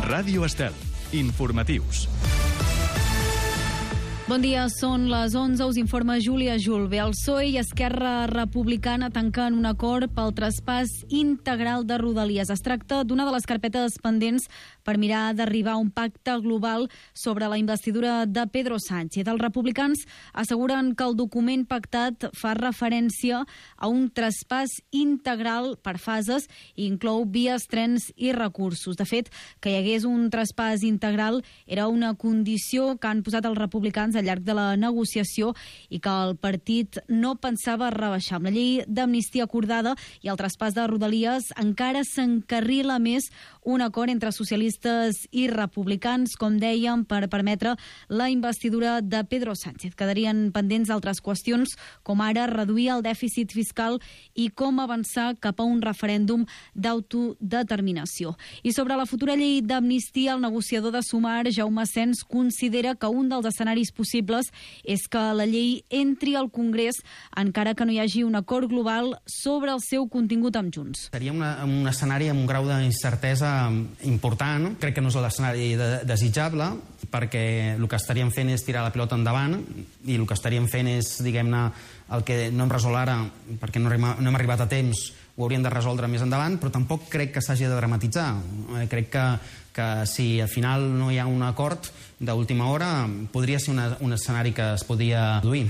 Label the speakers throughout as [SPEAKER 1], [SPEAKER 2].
[SPEAKER 1] Ràdio Estel. Informatius.
[SPEAKER 2] Bon dia, són les 11, us informa Júlia Julve. El PSOE i Esquerra Republicana tanquen un acord pel traspàs integral de Rodalies. Es tracta d'una de les carpetes pendents per mirar d'arribar a un pacte global sobre la investidura de Pedro Sánchez. Els republicans asseguren que el document pactat fa referència a un traspàs integral per fases i inclou vies, trens i recursos. De fet, que hi hagués un traspàs integral era una condició que han posat els republicans al llarg de la negociació i que el partit no pensava rebaixar. Amb la llei d'amnistia acordada i el traspàs de Rodalies encara s'encarrila més un acord entre socialistes i republicans, com dèiem, per permetre la investidura de Pedro Sánchez. Quedarien pendents altres qüestions, com ara reduir el dèficit fiscal i com avançar cap a un referèndum d'autodeterminació. I sobre la futura llei d'amnistia, el negociador de Sumar, Jaume Sens, considera que un dels escenaris possibles és que la llei entri al Congrés encara que no hi hagi un acord global sobre el seu contingut amb Junts.
[SPEAKER 3] Seria un escenari amb un grau d'incertesa important. Crec que no és l'escenari desitjable, perquè el que estaríem fent és tirar la pilota endavant i el que estaríem fent és, diguem-ne, el que no hem resolt ara perquè no hem arribat a temps, ho hauríem de resoldre més endavant, però tampoc crec que s'hagi de dramatitzar. Crec que si al final no hi ha un acord d'última hora, podria ser un escenari que es podria produir.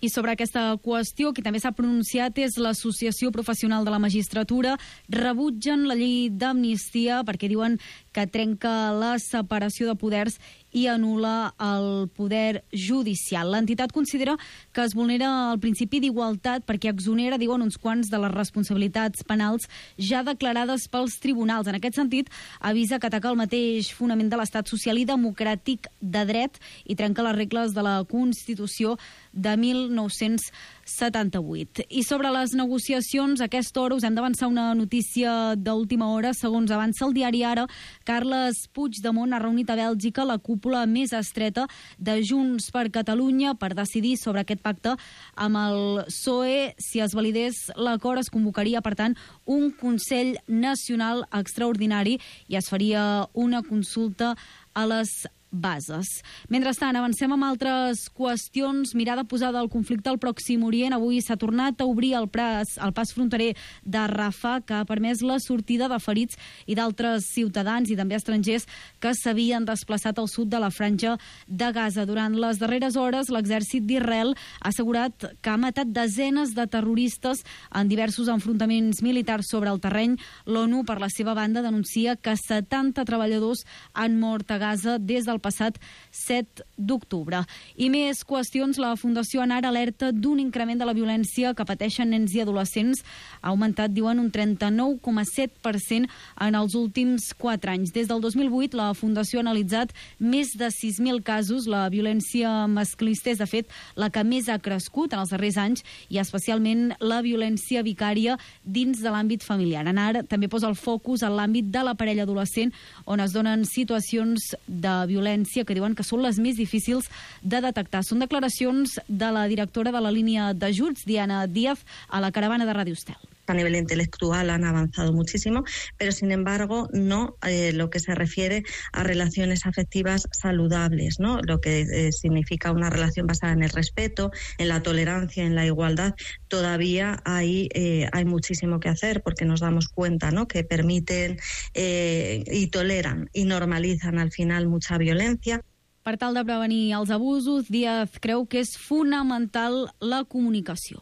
[SPEAKER 2] I sobre aquesta qüestió, qui també s'ha pronunciat és l'Associació Professional de la Magistratura. Rebutgen la llei d'amnistia perquè diuen que trenca la separació de poders i anul·la el poder judicial. L'entitat considera que es vulnera el principi d'igualtat perquè exonera, diuen, uns quants de les responsabilitats penals ja declarades pels tribunals. En aquest sentit, avisa que ataca el mateix fonament de l'estat social i democràtic de dret i trenca les regles de la Constitució de 1978. I sobre les negociacions, a aquesta hora us hem d'avançar una notícia d'última hora. Segons avança el diari Ara, Carles Puigdemont ha reunit a Bèlgica la cúpula més estreta de Junts per Catalunya per decidir sobre aquest pacte amb el PSOE. Si es validés l'acord, es convocaria, per tant, un Consell Nacional extraordinari i es faria una consulta a les bases. Mentrestant, avancem amb altres qüestions. Mirada posada al conflicte al Pròxim Orient. Avui s'ha tornat a obrir el pas fronterer de Rafah, que ha permès la sortida de ferits i d'altres ciutadans i també estrangers que s'havien desplaçat al sud de la franja de Gaza. Durant les darreres hores, l'exèrcit d'Israel ha assegurat que ha matat desenes de terroristes en diversos enfrontaments militars sobre el terreny. L'ONU, per la seva banda, denuncia que 70 treballadors han mort a Gaza des del passat 7 d'octubre. I més qüestions. La Fundació Anar alerta d'un increment de la violència que pateixen nens i adolescents. Ha augmentat, diuen, un 39,7% en els últims 4 anys. Des del 2008, la Fundació ha analitzat més de 6.000 casos. La violència masclista és, de fet, la que més ha crescut en els darrers anys i especialment la violència vicària dins de l'àmbit familiar. Anar també posa el focus en l'àmbit de la parella adolescent, on es donen situacions de violència que diuen que són les més difícils de detectar. Són declaracions de la directora de la línia d'ajuts, Diana Díaz, a la caravana de Ràdio Estel.
[SPEAKER 4] A nivel intelectual han avanzado muchísimo, pero sin embargo no lo que se refiere a relaciones afectivas saludables, ¿no? Lo que significa una relación basada en el respeto, en la tolerancia, en la igualdad. Todavía hay muchísimo que hacer porque nos damos cuenta, ¿no?, que permiten y toleran y normalizan al final mucha violencia.
[SPEAKER 2] Per tal de prevenir els abusos, Díaz creu que és fonamental la comunicació.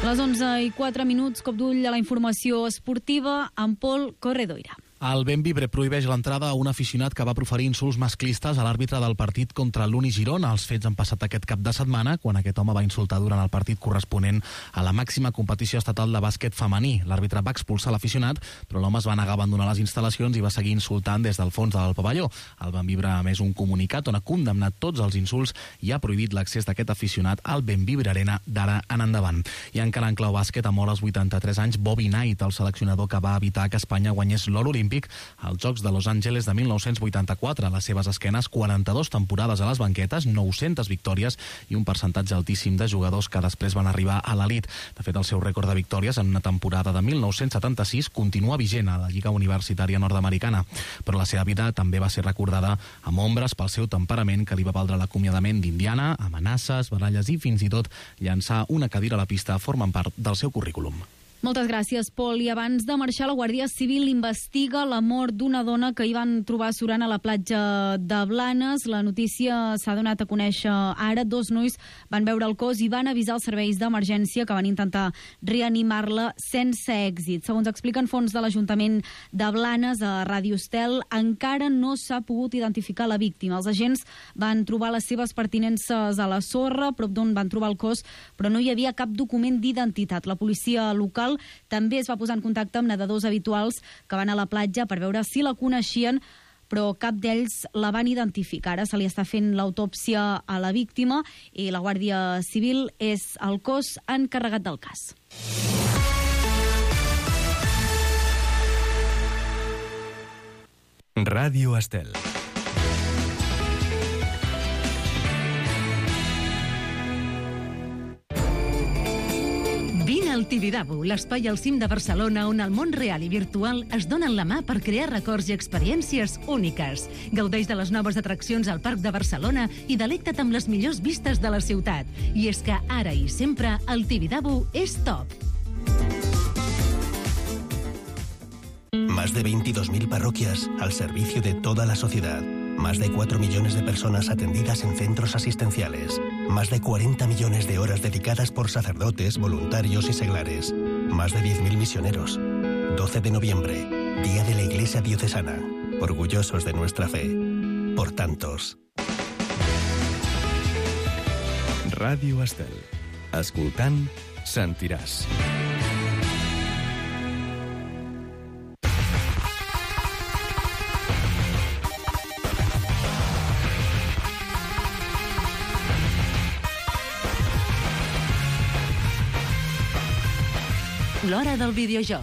[SPEAKER 2] Les 11:04, cop d'ull a la informació esportiva amb Pol Corredoira.
[SPEAKER 5] El Bembibre prohibeix l'entrada a un aficionat que va proferir insults masclistes a l'àrbitre del partit contra l'Uni Girona. Els fets han passat aquest cap de setmana, quan aquest home va insultar durant el partit corresponent a la màxima competició estatal de bàsquet femení. L'àrbitre va expulsar l'aficionat, però l'home es va negar a abandonar les instal·lacions i va seguir insultant des del fons del pavelló. El Bembibre ha emès un comunicat on ha condemnat tots els insults i ha prohibit l'accés d'aquest aficionat al Bembibre Arena d'ara en endavant. I encara en clau bàsquet, ha mort als 83 anys Bobby Knight, el seleccionador que va evitar que Espanya guanyés l'or olímpic olímpic als Jocs de Los Angeles de 1984. A les seves esquenes, 42 temporades a les banquetes, 900 victòries i un percentatge altíssim de jugadors que després van arribar a l'elit. De fet, el seu rècord de victòries en una temporada de 1976 continua vigent a la Lliga Universitària Nord-Americana. Però la seva vida també va ser recordada amb ombres pel seu temperament, que li va valdre l'acomiadament d'Indiana, amenaces, baralles i fins i tot llançar una cadira a la pista formen part del seu currículum.
[SPEAKER 2] Moltes gràcies, Pol. I abans de marxar, la Guàrdia Civil investiga la mort d'una dona que hi van trobar surant a la platja de Blanes. La notícia s'ha donat a conèixer ara. 2 nois van veure el cos i van avisar els serveis d'emergència, que van intentar reanimar-la sense èxit. Segons expliquen fonts de l'Ajuntament de Blanes a Ràdio Estel, encara no s'ha pogut identificar la víctima. Els agents van trobar les seves pertinences a la sorra, prop d'on van trobar el cos, però no hi havia cap document d'identitat. La policia local també es va posar en contacte amb nedadors habituals que van a la platja per veure si la coneixien, però cap d'ells la van identificar. Ara se li està fent l'autòpsia a la víctima i la Guàrdia Civil és el cos encarregat del cas.
[SPEAKER 1] Ràdio Estel.
[SPEAKER 6] Vine al Tibidabo, l'espai al cim de Barcelona on el món real i virtual es donen la mà per crear records i experiències úniques. Gaudeix de les noves atraccions al Parc de Barcelona i delecta't amb les millors vistes de la ciutat. I és que ara i sempre el Tibidabo és top.
[SPEAKER 7] Más de 22.000 parroquias al servicio de toda la sociedad. Más de 4 millones de personas atendidas en centros asistenciales. Más de 40 millones de horas dedicadas por sacerdotes, voluntarios y seglares. Más de 10.000 misioneros. 12 de noviembre, Día de la Iglesia Diocesana. Orgullosos de nuestra fe. Por tantos.
[SPEAKER 1] Ràdio Estel. Escoltant, sentiràs.
[SPEAKER 6] L'hora del videojoc.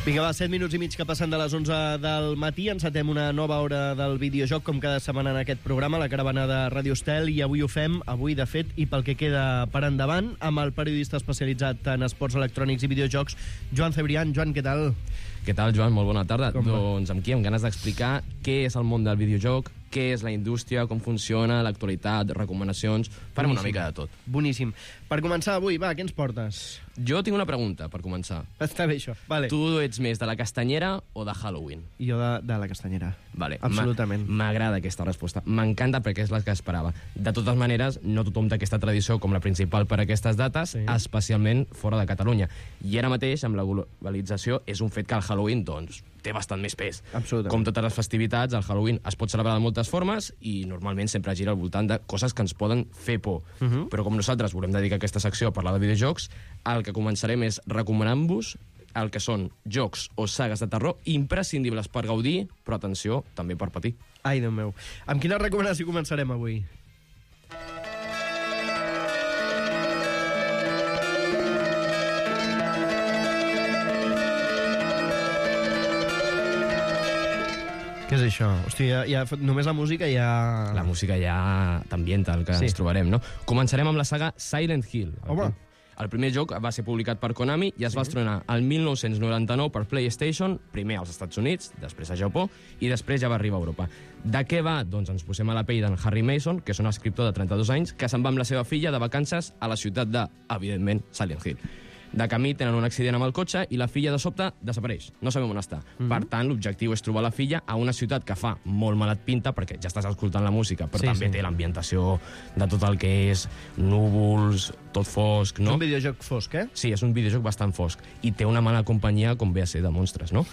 [SPEAKER 8] Vinga, va, 7 minuts i mig que passen de les 11 del matí. Encetem una nova hora del videojoc, com cada setmana en aquest programa, la caravana de Ràdio Estel, i avui ho fem, de fet, i pel que queda per endavant, amb el periodista especialitzat en esports electrònics i videojocs, Joan Cebrián. Joan, què tal?
[SPEAKER 9] Què tal, Joan? Molt bona tarda.
[SPEAKER 8] Com va?
[SPEAKER 9] Doncs amb qui? Amb ganes d'explicar què és el món del videojoc, què és la indústria, com funciona, l'actualitat, recomanacions... Farem una mica de tot.
[SPEAKER 8] Boníssim. Per començar avui, va, què ens portes?
[SPEAKER 9] Jo tinc una pregunta, per començar.
[SPEAKER 8] Està bé, això. Vale.
[SPEAKER 9] Tu ets més de la castanyera o de Halloween?
[SPEAKER 8] Jo de la castanyera.
[SPEAKER 9] Vale.
[SPEAKER 8] Absolutament.
[SPEAKER 9] M'agrada aquesta resposta. M'encanta perquè és la que esperava. De totes maneres, no tothom té aquesta tradició com la principal per a aquestes dates, sí, especialment fora de Catalunya. I ara mateix, amb la globalització, és un fet que el Halloween, doncs, té bastant més pes.
[SPEAKER 8] Absolutament.
[SPEAKER 9] Com totes les festivitats, el Halloween es pot celebrar de moltes formes i normalment sempre gira al voltant de coses que ens poden fer por. Però com nosaltres volem dedicar aquesta secció a parlar de videojocs, el que començarem és recomanant-vos el que són jocs o sagues de terror imprescindibles per gaudir, però atenció, també per patir.
[SPEAKER 8] Ai, Déu meu. Amb quina recomanació començarem avui? Què és això? Hòstia, només la música ja...
[SPEAKER 9] La música ja t'ambienta el que ens trobarem, no? Començarem amb la saga Silent Hill.
[SPEAKER 8] Home!
[SPEAKER 9] El primer joc va ser publicat per Konami i es va estrenar el 1999 per PlayStation, primer als Estats Units, després a Japó, i després ja va arribar a Europa. De què va? Doncs ens posem a la pell d'en Harry Mason, que és un escriptor de 32 anys, que se'n va amb la seva filla de vacances a la ciutat de, evidentment, Silent Hill. De camí tenen un accident amb el cotxe i la filla de sobte desapareix. No sabem on està. Per tant, l'objectiu és trobar la filla a una ciutat que fa molt malat pinta, perquè ja estàs escoltant la música, però també té l'ambientació de tot el que és núvols, tot fosc, no?
[SPEAKER 8] És un videojoc fosc, eh?
[SPEAKER 9] Sí, és un videojoc bastant fosc. I té una mala companyia, com ve a ser, de monstres, no?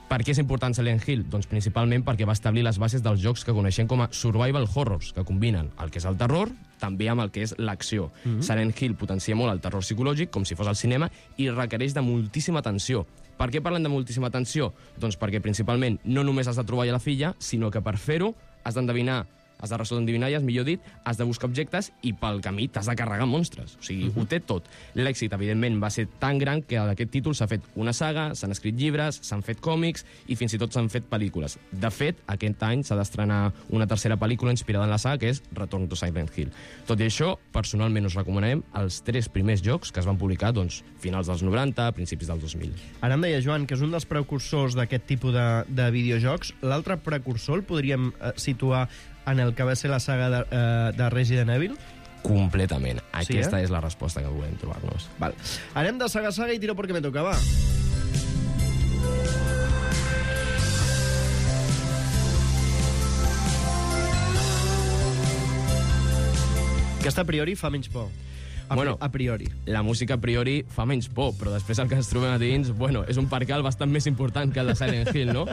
[SPEAKER 9] Per què és important Silent Hill? Doncs principalment perquè va establir les bases dels jocs que coneixem com a survival horrors, que combinen el que és el terror també amb el que és l'acció. Silent Hill potencia molt el terror psicològic, com si fos al cinema, i requereix de moltíssima atenció. Per què parlen de moltíssima atenció? Doncs perquè principalment no només has de trobar la filla, sinó que per fer-ho has d'endevinar has de resoldre endivinalles, millor dit, has de buscar objectes i pel camí t'has de carregar monstres. O sigui, ho té tot. L'èxit, evidentment, va ser tan gran que d'aquest títol s'ha fet una saga, s'han escrit llibres, s'han fet còmics i fins i tot s'han fet pel·lícules. De fet, aquest any s'ha d'estrenar una tercera pel·lícula inspirada en la saga, que és Return to Silent Hill. Tot i això, personalment us recomanarem els 3 primers jocs que es van publicar finals dels 90, principis dels 2000.
[SPEAKER 8] Ara em deia, Joan, que és un dels precursors d'aquest tipus de videojocs. L'altre precursor el podríem situar en el que va ser la saga de Resident Evil?
[SPEAKER 9] Completament. Aquesta és la resposta que volem trobar-nos.
[SPEAKER 8] Val. Anem de saga a saga i tiro perquè me toca, va. Aquesta a priori fa menys por. A priori.
[SPEAKER 9] La música a priori fa menys por, però després el que ens trobem a dins, és un percal bastant més important que el de Silent Hill, no?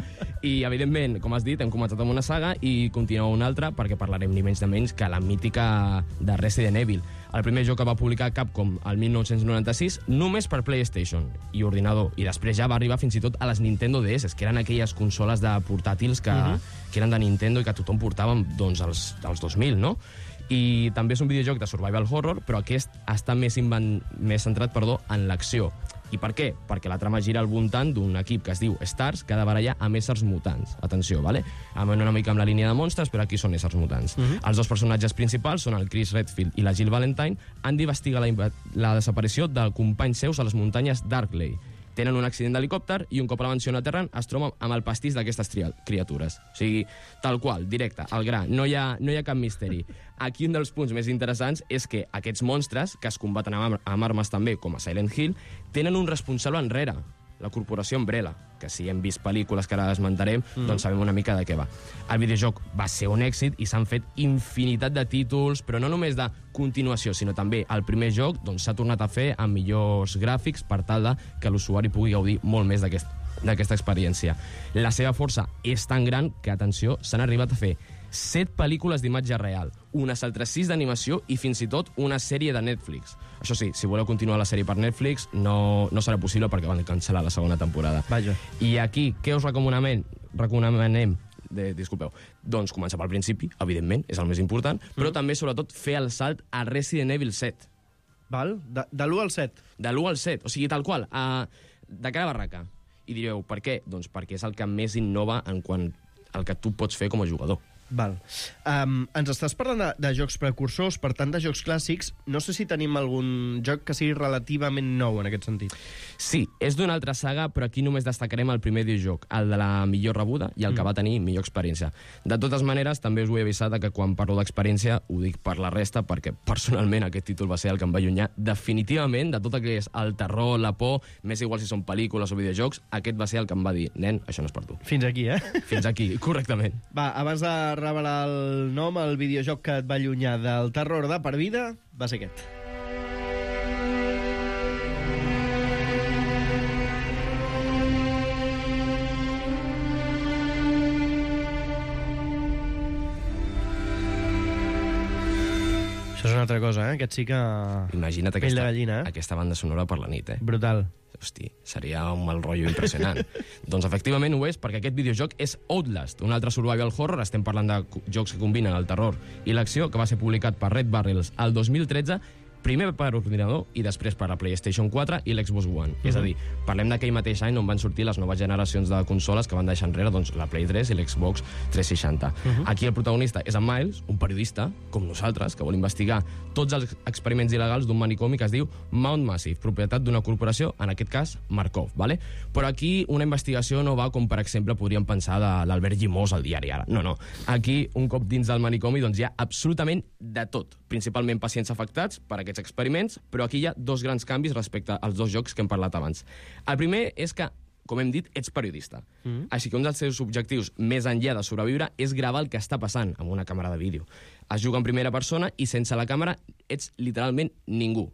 [SPEAKER 9] I, evidentment, com has dit, hem començat amb una saga i continua una altra perquè parlarem ni menys de menys que la mítica de Resident Evil. El primer joc que va publicar Capcom el 1996 només per PlayStation i ordinador, i després ja va arribar fins i tot a les Nintendo DS, que eren aquelles consoles de portàtils que eren de Nintendo i que tothom portava als 2000, no? I també és un videojoc de survival horror, però aquest està més centrat en l'acció. I per què? Perquè la trama gira al voltant d'un equip que es diu Stars, que ha de barallar amb éssers mutants. Atenció, vale? Una mica amb la línia de monstres, però aquí són éssers mutants. Els dos personatges principals són el Chris Redfield i la Jill Valentine. Han d'investigar la desaparició de companys seus a les muntanyes Darkley. Tenen un accident d'helicòpter i un cop a la mansió aterren es troben amb el pastís d'aquestes criatures. O sigui, tal qual, directe, al gra, no hi ha cap misteri. Aquí un dels punts més interessants és que aquests monstres, que es combaten amb armes també, com a Silent Hill, tenen un responsable enrere, la corporació Umbrella, que si hem vist pel·lícules que ara esmentarem, doncs sabem una mica de què va. El videojoc va ser un èxit i s'han fet infinitat de títols, però no només de continuació, sinó també el primer joc s'ha tornat a fer amb millors gràfics per tal que l'usuari pugui gaudir molt més d'aquesta experiència. La seva força és tan gran que, atenció, s'han arribat a fer 7 pel·lícules d'imatge real, unes altres 6 d'animació i fins i tot una sèrie de Netflix. Això sí, si voleu continuar la sèrie per Netflix, no serà possible perquè van cancel·lar la segona temporada.
[SPEAKER 8] Vaja.
[SPEAKER 9] I aquí, què us recomanem? Disculpeu. Doncs començar pel principi, evidentment, és el més important, però també, sobretot, fer el salt a Resident Evil 7.
[SPEAKER 8] Val? De l'1 al 7?
[SPEAKER 9] De l'1 al 7, o sigui, tal qual, de cara a barraca. I direu, per què? Doncs perquè és el que més innova en quant al que tu pots fer com a jugador.
[SPEAKER 8] Val. Ens estàs parlant de jocs precursors, per tant de jocs clàssics. No sé si tenim algun joc que sigui relativament nou en aquest sentit.
[SPEAKER 9] Sí, és d'una altra saga, però aquí només destacarem el primer videojoc, el de la millor rebuda i el que va tenir millor experiència. De totes maneres, també us vull avisar que quan parlo d'experiència ho dic per la resta, perquè personalment aquest títol va ser el que em va allunyar definitivament de tot el que és el terror, la por, més igual si són pel·lícules o videojocs, aquest va ser el que em va dir, nen, això no és per tu.
[SPEAKER 8] Fins aquí,
[SPEAKER 9] Fins aquí, correctament.
[SPEAKER 8] Va, abans de revelar el nom, el videojoc que et va allunyar del terror de per vida va ser aquest. Això és una altra cosa, Aquest sí que...
[SPEAKER 9] Imagina't aquesta banda sonora per la nit,
[SPEAKER 8] Brutal.
[SPEAKER 9] Hosti, seria un mal rotllo impressionant. Doncs efectivament ho és, perquè aquest videojoc és Outlast, un altre survival horror. Estem parlant de jocs que combinen el terror i l'acció, que va ser publicat per Red Barrels el 2013, primer per ordinador i després per la PlayStation 4 i l'Xbox One. És a dir, parlem d'aquell mateix any on van sortir les noves generacions de consoles que van deixar enrere la Play 3 i l'Xbox 360. Aquí el protagonista és en Miles, un periodista, com nosaltres, que vol investigar tots els experiments il·legals d'un manicomi que es diu Mount Massive, propietat d'una corporació, en aquest cas Markov. Vale? Però aquí una investigació no va com, per exemple, podríem pensar de l'Albert Llimós al diari Ara. No. Aquí, un cop dins del manicomi, doncs hi ha absolutament de tot. Principalment pacients afectats per aquests experiments, però aquí hi ha 2 grans canvis respecte als 2 jocs que hem parlat abans. El primer és que, com hem dit, ets periodista. Així que un dels seus objectius, més enllà de sobreviure, és gravar el que està passant amb una càmera de vídeo. Es juga en primera persona i sense la càmera ets literalment ningú.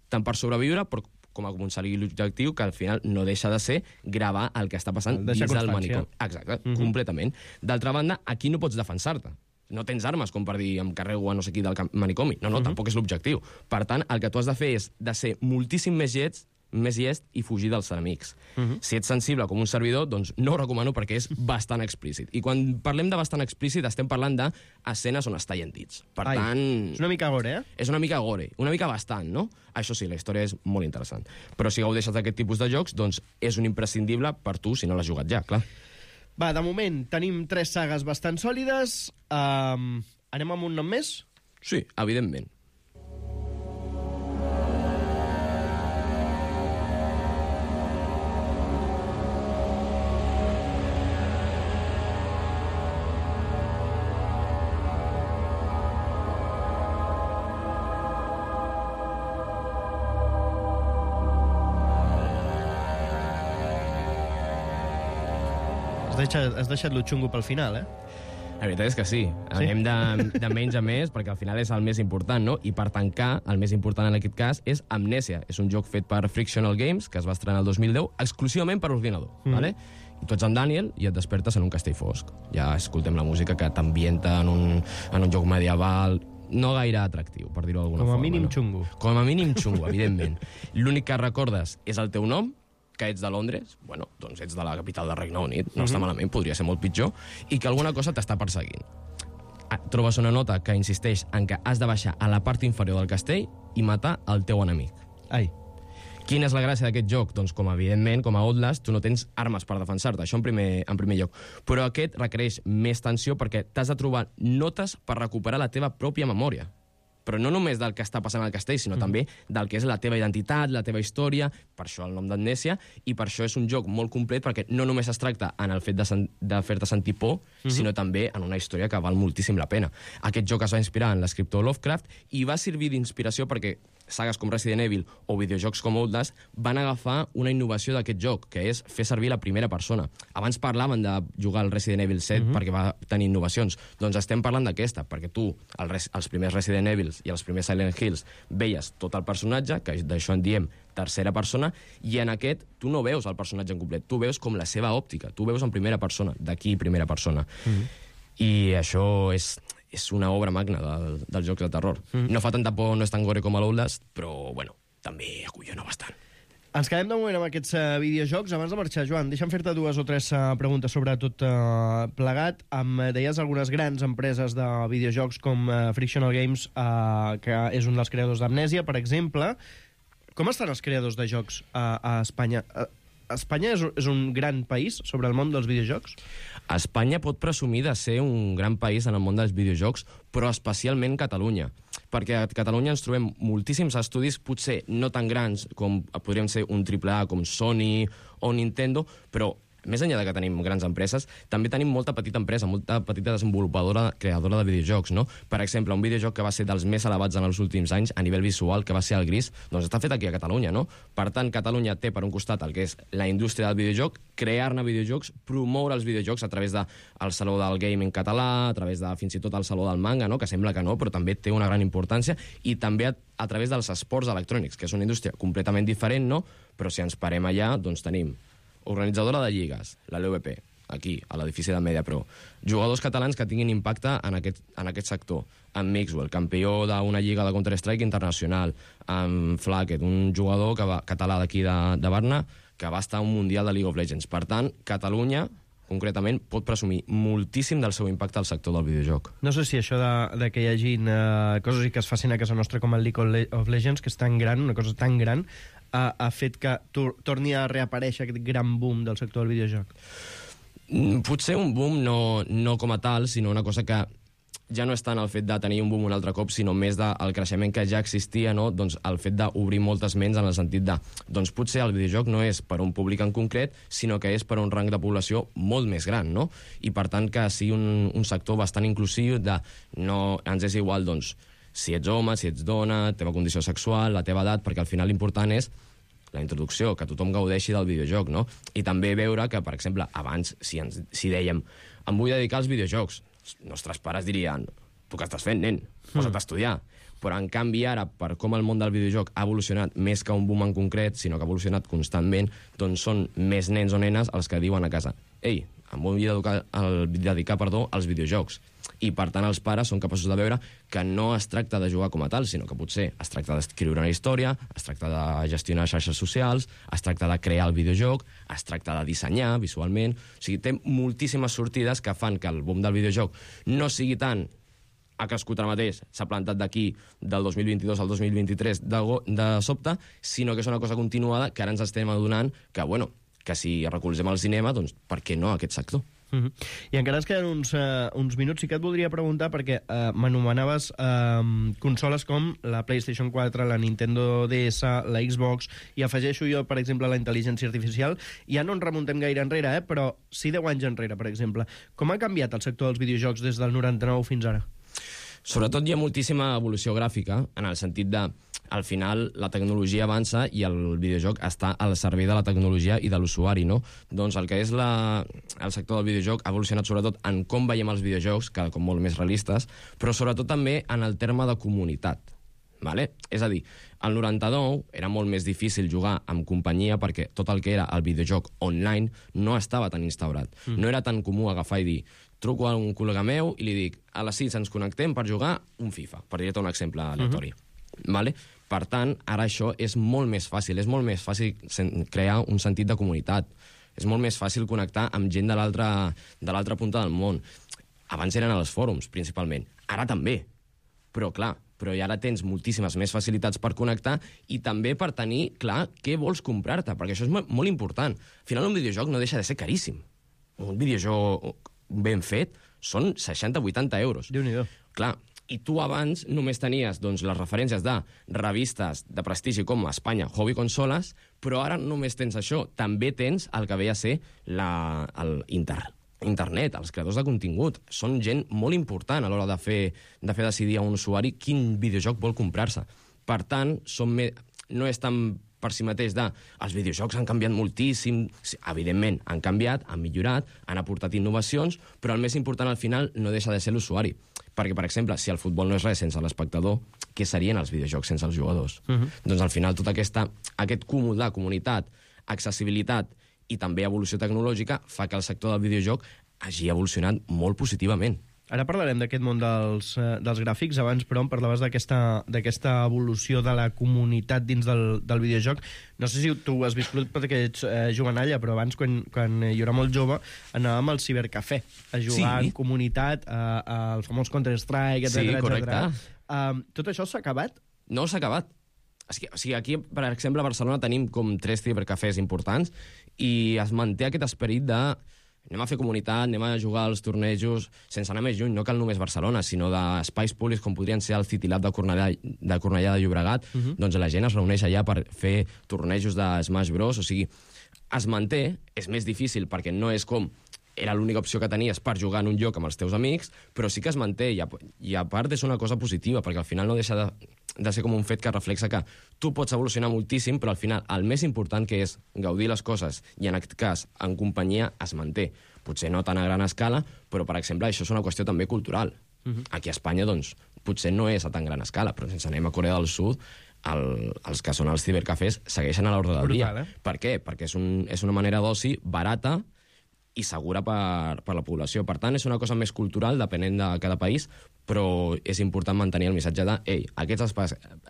[SPEAKER 9] Tant per sobreviure, però com a aconseguir l'objectiu, que al final no deixa de ser gravar el que està passant dins del manicom. Exacte, completament. D'altra banda, aquí no pots defensar-te. No tens armes com per dir em carrego a no sé qui del manicomi. No, tampoc és l'objectiu. Per tant, el que tu has de fer és de ser moltíssim més lleig més llest i fugir dels enemics. Si ets sensible com un servidor, doncs no ho recomano perquè és bastant explícit. I quan parlem de bastant explícit estem parlant d'escenes on es tallen dits. Per tant...
[SPEAKER 8] És una mica gore,
[SPEAKER 9] És una mica gore, una mica bastant, no? Això sí, la història és molt interessant. Però si gaudeixes d'aquest tipus de jocs, doncs és un imprescindible per tu si no l'has jugat ja, clar.
[SPEAKER 8] Va, de moment tenim 3 sagues bastant sòlides. Anem amb un nom més?
[SPEAKER 9] Sí, evidentment.
[SPEAKER 8] Has deixat lo xungo pel final,
[SPEAKER 9] La veritat és que sí. Anem de menys a més, perquè al final és el més important, no? I per tancar, el més important en aquest cas és Amnesia. És un joc fet per Frictional Games, que es va estrenar el 2010, exclusivament per ordinador, vale? I tu ets en Daniel i et despertes en un castell fosc. Ja escoltem la música que t'ambienta en un joc medieval, no gaire atractiu, per dir-ho d'alguna forma.
[SPEAKER 8] Com a mínim xungo.
[SPEAKER 9] Com a mínim xungo, evidentment. L'únic que recordes és el teu nom, que ets de Londres, bueno, doncs ets de la capital del Regne Unit, no està malament, podria ser molt pitjor, i que alguna cosa t'està perseguint. Trobes una nota que insisteix en que has de baixar a la part inferior del castell i matar el teu enemic.
[SPEAKER 8] Ai.
[SPEAKER 9] Quina és la gràcia d'aquest joc? Doncs, com evidentment, com a Outlast, tu no tens armes per defensar-te, això en primer lloc. Però aquest requereix més tensió perquè t'has de trobar notes per recuperar la teva pròpia memòria. Però no només del que està passant al castell, sinó també del que és la teva identitat, la teva història, per això el nom d'Amnesia, i per això és un joc molt complet, perquè no només es tracta en el fet de fer-te sentir por, sinó també en una història que val moltíssim la pena. Aquest joc es va inspirar en l'escriptor Lovecraft i va servir d'inspiració perquè sagues com Resident Evil o videojocs com Outlast van agafar una innovació d'aquest joc, que és fer servir la primera persona. Abans parlaven de jugar al Resident Evil 7 perquè va tenir innovacions. Doncs estem parlant d'aquesta, perquè tu, els primers Resident Evils i els primers Silent Hills, veies tot el personatge, que d'això en diem tercera persona, i en aquest tu no veus el personatge en complet, tu veus com la seva òptica, tu veus en primera persona, d'aquí primera persona. I això és una obra magna del joc de terror. No fa tanta por, no és tan gore com a l'Outlast, però, bueno, també acollona bastant.
[SPEAKER 8] Ens quedem de moment amb aquests videojocs. Abans de marxar, Joan, deixa'm fer-te 2 o 3 preguntes sobre tot plegat. Em deies algunes grans empreses de videojocs com Frictional Games, que és un dels creadors d'Amnesia, per exemple. Com estan els creadors de jocs a Espanya? Espanya és un gran país sobre el món dels videojocs?
[SPEAKER 9] Espanya pot presumir de ser un gran país en el món dels videojocs, però especialment Catalunya. Perquè a Catalunya ens trobem moltíssims estudis, potser no tan grans com podrien ser un AAA com Sony o Nintendo, però més enllà de que tenim grans empreses, també tenim molta petita empresa, molta petita desenvolupadora, creadora de videojocs, no? Per exemple, un videojoc que va ser dels més elevats en els últims anys a nivell visual, que va ser el Gris, doncs està fet aquí a Catalunya, no? Per tant, Catalunya té per un costat el que és la indústria del videojoc, crear-ne videojocs, promoure els videojocs a través del Saló del Gaming català, a través de fins i tot el Saló del Manga, no? Que sembla que no, però també té una gran importància, i també a través dels esports electrònics, que és una indústria completament diferent, no? Però si ens parem allà, doncs tenim organitzadora de lligues, la LVP, aquí, a l'edifici de Mediapro. Jugadors catalans que tinguin impacte en aquest sector. En Mixwell, campió d'una lliga de Counter-Strike internacional. En Flacket, un jugador català d'aquí de Barna, que va estar a un mundial de League of Legends. Per tant, Catalunya, concretament, pot presumir moltíssim del seu impacte al sector del videojoc.
[SPEAKER 8] No sé si això de que hi hagin coses i que es facin a casa nostra com el League of Legends, que és tan gran, una cosa tan gran, ha fet que torni a reaparèixer aquest gran boom del sector del videojoc?
[SPEAKER 9] Potser un boom no com a tal, sinó una cosa que ja no és tant el fet de tenir un boom un altre cop, sinó més del creixement que ja existia, no? Doncs el fet d'obrir moltes ments en el sentit de, doncs potser el videojoc no és per a un públic en concret, sinó que és per a un rang de població molt més gran, no? I per tant que sigui un sector bastant inclusiu de no ens és igual, doncs, si ets home, si ets dona, la teva condició sexual, la teva edat, perquè al final l'important és la introducció, que tothom gaudeixi del videojoc, no? I també veure que, per exemple, abans, si dèiem em vull dedicar als videojocs, els nostres pares dirien, tu què estàs fent, nen? Posa't a estudiar. Però, en canvi, ara, per com el món del videojoc ha evolucionat més que un boom en concret, sinó que ha evolucionat constantment, doncs són més nens o nenes els que diuen a casa ei, em vull dedicar als videojocs. I, per tant, els pares són capaços de veure que no es tracta de jugar com a tal, sinó que potser es tracta d'escriure una història, es tracta de gestionar xarxes socials, es tracta de crear el videojoc, es tracta de dissenyar visualment. O sigui, té moltíssimes sortides que fan que el boom del videojoc no sigui tant ha crescut ara mateix, s'ha plantat d'aquí del 2022 al 2023 de sobte, sinó que és una cosa continuada que ara ens estem adonant que, bueno, que si recolzem al cinema, doncs per què no aquest sector?
[SPEAKER 8] I encara ens queden uns minuts. Sí que et voldria preguntar, perquè m'anomenaves consoles com la PlayStation 4, la Nintendo DS, la Xbox, i afegeixo jo, per exemple, la intel·ligència artificial. Ja no ens remuntem gaire enrere, però sí 10 anys enrere, per exemple. Com ha canviat el sector dels videojocs des del 99 fins ara?
[SPEAKER 9] Sobretot hi ha moltíssima evolució gràfica, en el sentit de, al final, la tecnologia avança i el videojoc està al servei de la tecnologia i de l'usuari, no? Doncs el que és el sector del videojoc ha evolucionat sobretot en com veiem els videojocs, cada cop molt més realistes, però sobretot també en el terme de comunitat. Vale? És a dir, al 99 era molt més difícil jugar amb companyia perquè tot el que era el videojoc online no estava tan instaurat. No era tan comú agafar i dir truco a un col·lega meu i li dic a les 6 ens connectem per jugar un FIFA, per dir-te un exemple aleatori. Vale? Per tant, ara això és molt més fàcil. És molt més fàcil crear un sentit de comunitat. És molt més fàcil connectar amb gent de l'altra punta del món. Abans eren als fòrums, principalment. Ara també. Però, clar, ara tens moltíssimes més facilitats per connectar i també per tenir clar què vols comprar-te, perquè això és molt important. Al final, un videojoc no deixa de ser caríssim. Un videojoc ben fet són 60-80 euros.
[SPEAKER 8] Déu-n'hi-do.
[SPEAKER 9] Clar, i tu abans només tenies doncs, les referències de revistes de prestigi com Espanya, Hobby Consoles, però ara només tens això. També tens el que ve a ser internet, els creadors de contingut. Són gent molt important a l'hora de fer decidir a un usuari quin videojoc vol comprar-se. Per tant, no és tan per si mateix els videojocs han canviat moltíssim. Evidentment, han canviat, han millorat, han aportat innovacions, però el més important al final no deixa de ser l'usuari. Perquè, per exemple, si el futbol no és res sense l'espectador, què serien els videojocs sense els jugadors? Doncs al final tot aquest cúmul de comunitat, accessibilitat i també evolució tecnològica fa que el sector del videojoc hagi evolucionat molt positivament.
[SPEAKER 8] Ara parlarem d'aquest món dels gràfics. Abans, però, em parlaves d'aquesta evolució de la comunitat dins del videojoc. No sé si tu has viscut perquè ets jovenalla, però abans, quan jo era molt jove, anàvem al cibercafè a jugar en comunitat, al famós Counter-Strike, etc.
[SPEAKER 9] Sí, correcte.
[SPEAKER 8] Tot això s'ha acabat?
[SPEAKER 9] No s'ha acabat. O sigui, aquí, per exemple, a Barcelona tenim com 3 cibercafès importants i es manté aquest esperit de anem a fer comunitat, anem a jugar als tornejos, sense anar més lluny, no cal només Barcelona, sinó d'espais públics com podrien ser el City Lab de Cornellà de Llobregat, doncs la gent es reuneix allà per fer tornejos de Smash Bros. O sigui, es manté, és més difícil perquè no és com era l'única opció que tenies per jugar en un lloc amb els teus amics, però sí que es manté, i a part és una cosa positiva, perquè al final no deixa de ser com un fet que reflexa que tu pots evolucionar moltíssim, però al final el més important, que és gaudir les coses, i en aquest cas, en companyia, es manté. Potser no tan a gran escala, però, per exemple, això és una qüestió també cultural. Aquí a Espanya, doncs, potser no és a tan gran escala, però si ens anem a Corea del Sud, els que són els cibercafès segueixen a l'ordre del dia. Per què? Perquè és una manera d'oci barata i segura per la població. Per tant, és una cosa més cultural, depenent de cada país, però és important mantenir el missatge de ei, aquests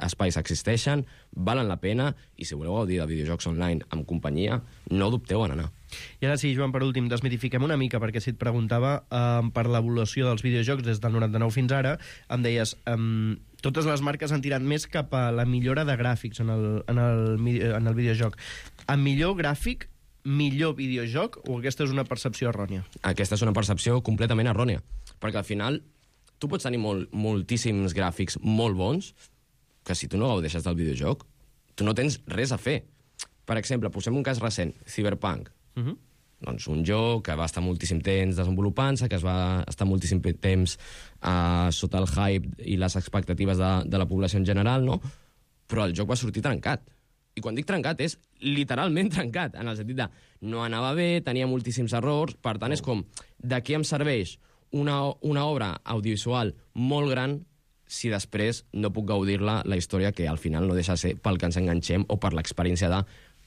[SPEAKER 9] espais existeixen, valen la pena, i si voleu gaudir de videojocs online amb companyia, no dubteu en anar.
[SPEAKER 8] I ara sí, Joan, per últim, desmitifiquem una mica, perquè si et preguntava per l'evolució dels videojocs des del 99 fins ara, em deies totes les marques han tirat més cap a la millora de gràfics en el videojoc. Amb millor gràfic, millor videojoc, o aquesta és una percepció errònia?
[SPEAKER 9] Aquesta és una percepció completament errònia, perquè al final tu pots tenir moltíssims gràfics molt bons, que si tu no gaudeixes del videojoc, tu no tens res a fer. Per exemple, posem un cas recent, Cyberpunk. Doncs un joc que va estar moltíssim temps desenvolupant-se, que es va estar moltíssim temps sota el hype i les expectatives de la població en general, no? Però el joc va sortir trencat. I quan dic trencat és literalment trencat, en el sentit de no anava bé, tenia moltíssims errors, per tant és com, de què em serveix una obra audiovisual molt gran si després no puc gaudir-la, la història, que al final no deixa de ser pel que ens enganxem o per l'experiència de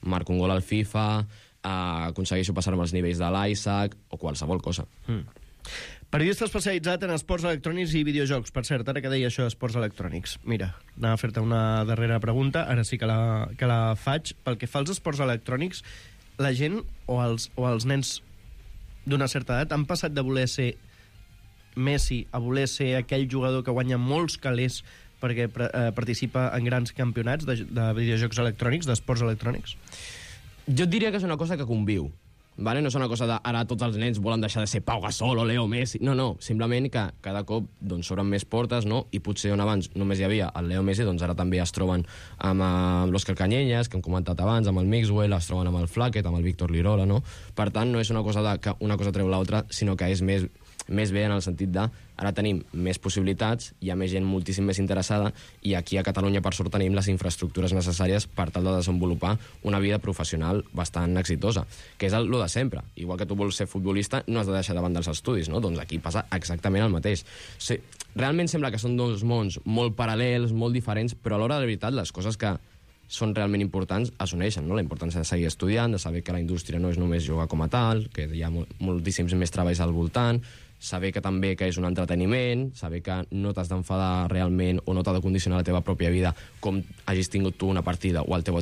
[SPEAKER 9] marco un gol al FIFA, aconsegueixo passar-me els nivells de l'Isaac o qualsevol cosa.
[SPEAKER 8] Periodista especialitzat en esports electrònics i videojocs. Per cert, ara que deia això d'esports electrònics. Mira, anava a fer-te una darrera pregunta, ara sí que la faig. Pel que fa als esports electrònics, la gent o els nens d'una certa edat han passat de voler ser Messi a voler ser aquell jugador que guanya molts calés perquè participa en grans campionats de videojocs electrònics, d'esports electrònics?
[SPEAKER 9] Jo et diria que és una cosa que conviu. Vale? No és una cosa de ara tots els nens volen deixar de ser Pau Gasol o Leo Messi. No, simplement que cada cop s'obren més portes, no? I potser on abans només hi havia el Leo Messi, doncs ara també es troben amb l'Òscar Canyelles, que hem comentat abans, amb el Mixwell, es troben amb el Flaquet, amb el Víctor Lirola, no? Per tant, no és una cosa que una cosa treu l'altra, sinó que és més bé en el sentit de ara tenim més possibilitats, hi ha més gent moltíssim més interessada i aquí a Catalunya per sort tenim les infraestructures necessàries per tal de desenvolupar una vida professional bastant exitosa, que és lo de sempre. Igual que tu vols ser futbolista, no has de deixar de banda els estudis, no? Doncs aquí passa exactament el mateix. Realment sembla que són dos mons molt paral·lels, molt diferents, però a l'hora de la veritat les coses que són realment importants es uneixen, no? La importància de seguir estudiant, de saber que la indústria no és només jugar com a tal, que hi ha moltíssims més treballs al voltant, saber que també que és un entreteniment, saber que no t'has d'enfadar realment o no t'ha de condicionar la teva pròpia vida com hagis tingut tu una partida o el teu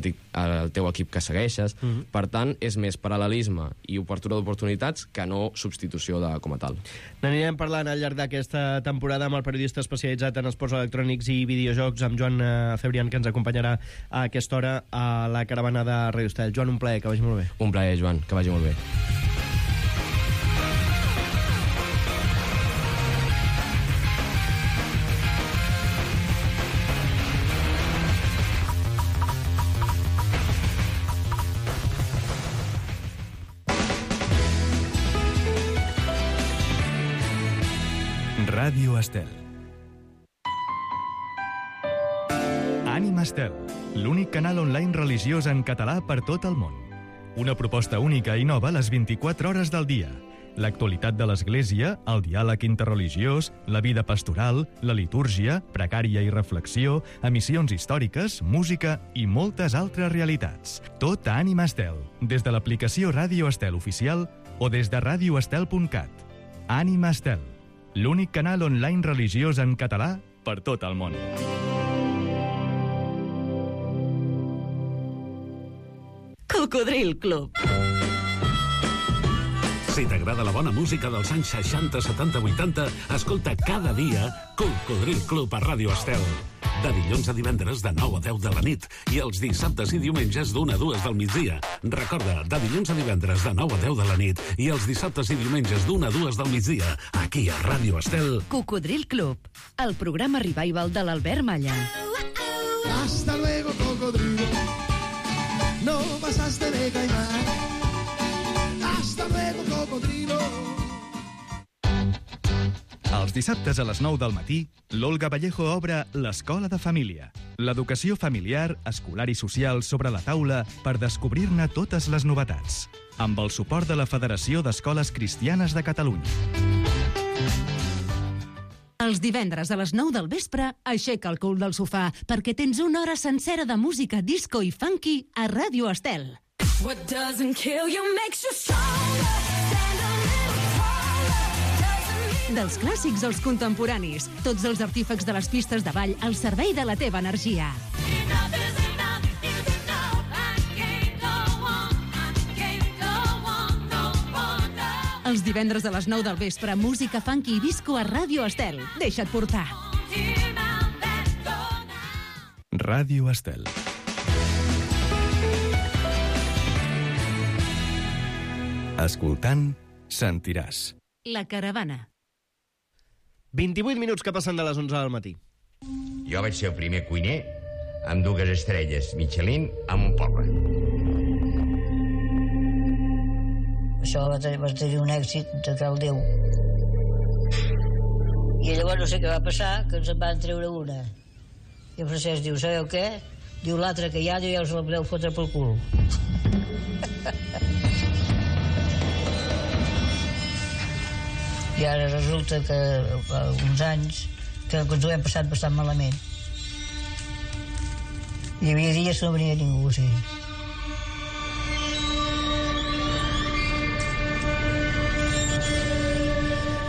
[SPEAKER 9] equip que segueixes. Per tant, és més paral·lelisme i obertura d'oportunitats que no substitució com a tal.
[SPEAKER 8] N'anirem parlant al llarg d'aquesta temporada amb el periodista especialitzat en esports electrònics i videojocs, amb Joan Cebrián, que ens acompanyarà a aquesta hora a la caravana de Radio Estel. Joan, un plaer, que vagi molt bé.
[SPEAKER 9] Un plaer, Joan, que vagi molt bé.
[SPEAKER 1] Ràdio Estel. Ànima Estel, l'únic canal online religiós en català per tot el món. Una proposta única i nova a les 24 hores del dia. L'actualitat de l'Església, el diàleg interreligiós, la vida pastoral, la litúrgia, pregària i reflexió, emissions històriques, música i moltes altres realitats. Tot a Ànima Estel, des de l'aplicació Ràdio Estel oficial o des de radioestel.cat. Ànima Estel, l'únic canal online religiós en català per tot el món.
[SPEAKER 10] Cocodril Club.
[SPEAKER 11] Si t'agrada la bona música dels anys 60, 70, 80, escolta cada dia Cocodril Club a Ràdio Estel. De dilluns a divendres de 9 a 10 de la nit i els dissabtes i diumenges d'1 a 2 del migdia. Recorda, de dilluns a divendres de 9 a 10 de la nit i els dissabtes i diumenges d'1 a 2 del migdia, aquí a Ràdio Estel.
[SPEAKER 10] Cocodril Club, el programa revival de l'Albert Malla.
[SPEAKER 12] Hasta luego, cocodrilo. No pasaste de caimán. Hasta luego, cocodrilo.
[SPEAKER 1] Els dissabtes a les 9 del matí, l'Olga Vallejo obre l'Escola de Família. L'educació familiar, escolar i social sobre la taula per descobrir-ne totes les novetats. Amb el suport de la Federació d'Escoles Cristianes de Catalunya.
[SPEAKER 6] Els divendres a les 9 del vespre, aixeca el cul del sofà, perquè tens una hora sencera de música disco i funky a Ràdio Estel.
[SPEAKER 13] What doesn't kill you makes you stronger.
[SPEAKER 6] Dels clàssics als contemporanis, tots els artífecs de les pistes de ball al servei de la teva energia. Els divendres a les 9 del vespre, música funky i disco a Ràdio Estel. Deixa't portar.
[SPEAKER 1] Ràdio Estel. Escoltant, sentiràs.
[SPEAKER 6] La caravana.
[SPEAKER 8] 28 minuts que passen de les 11 del matí.
[SPEAKER 14] Jo vaig ser el primer cuiner amb 2 estrelles Michelin en un poble.
[SPEAKER 15] Això va tenir un èxit de cal Déu. I llavors no sé què va passar, que ens en van treure una. I el Francesc diu, sabeu què? Diu l'altra que hi ha, ja us la podeu fotre pel cul. I ara resulta que uns anys que ens ho hem passat bastant malament. Hi havia dies que no venia ningú, sí.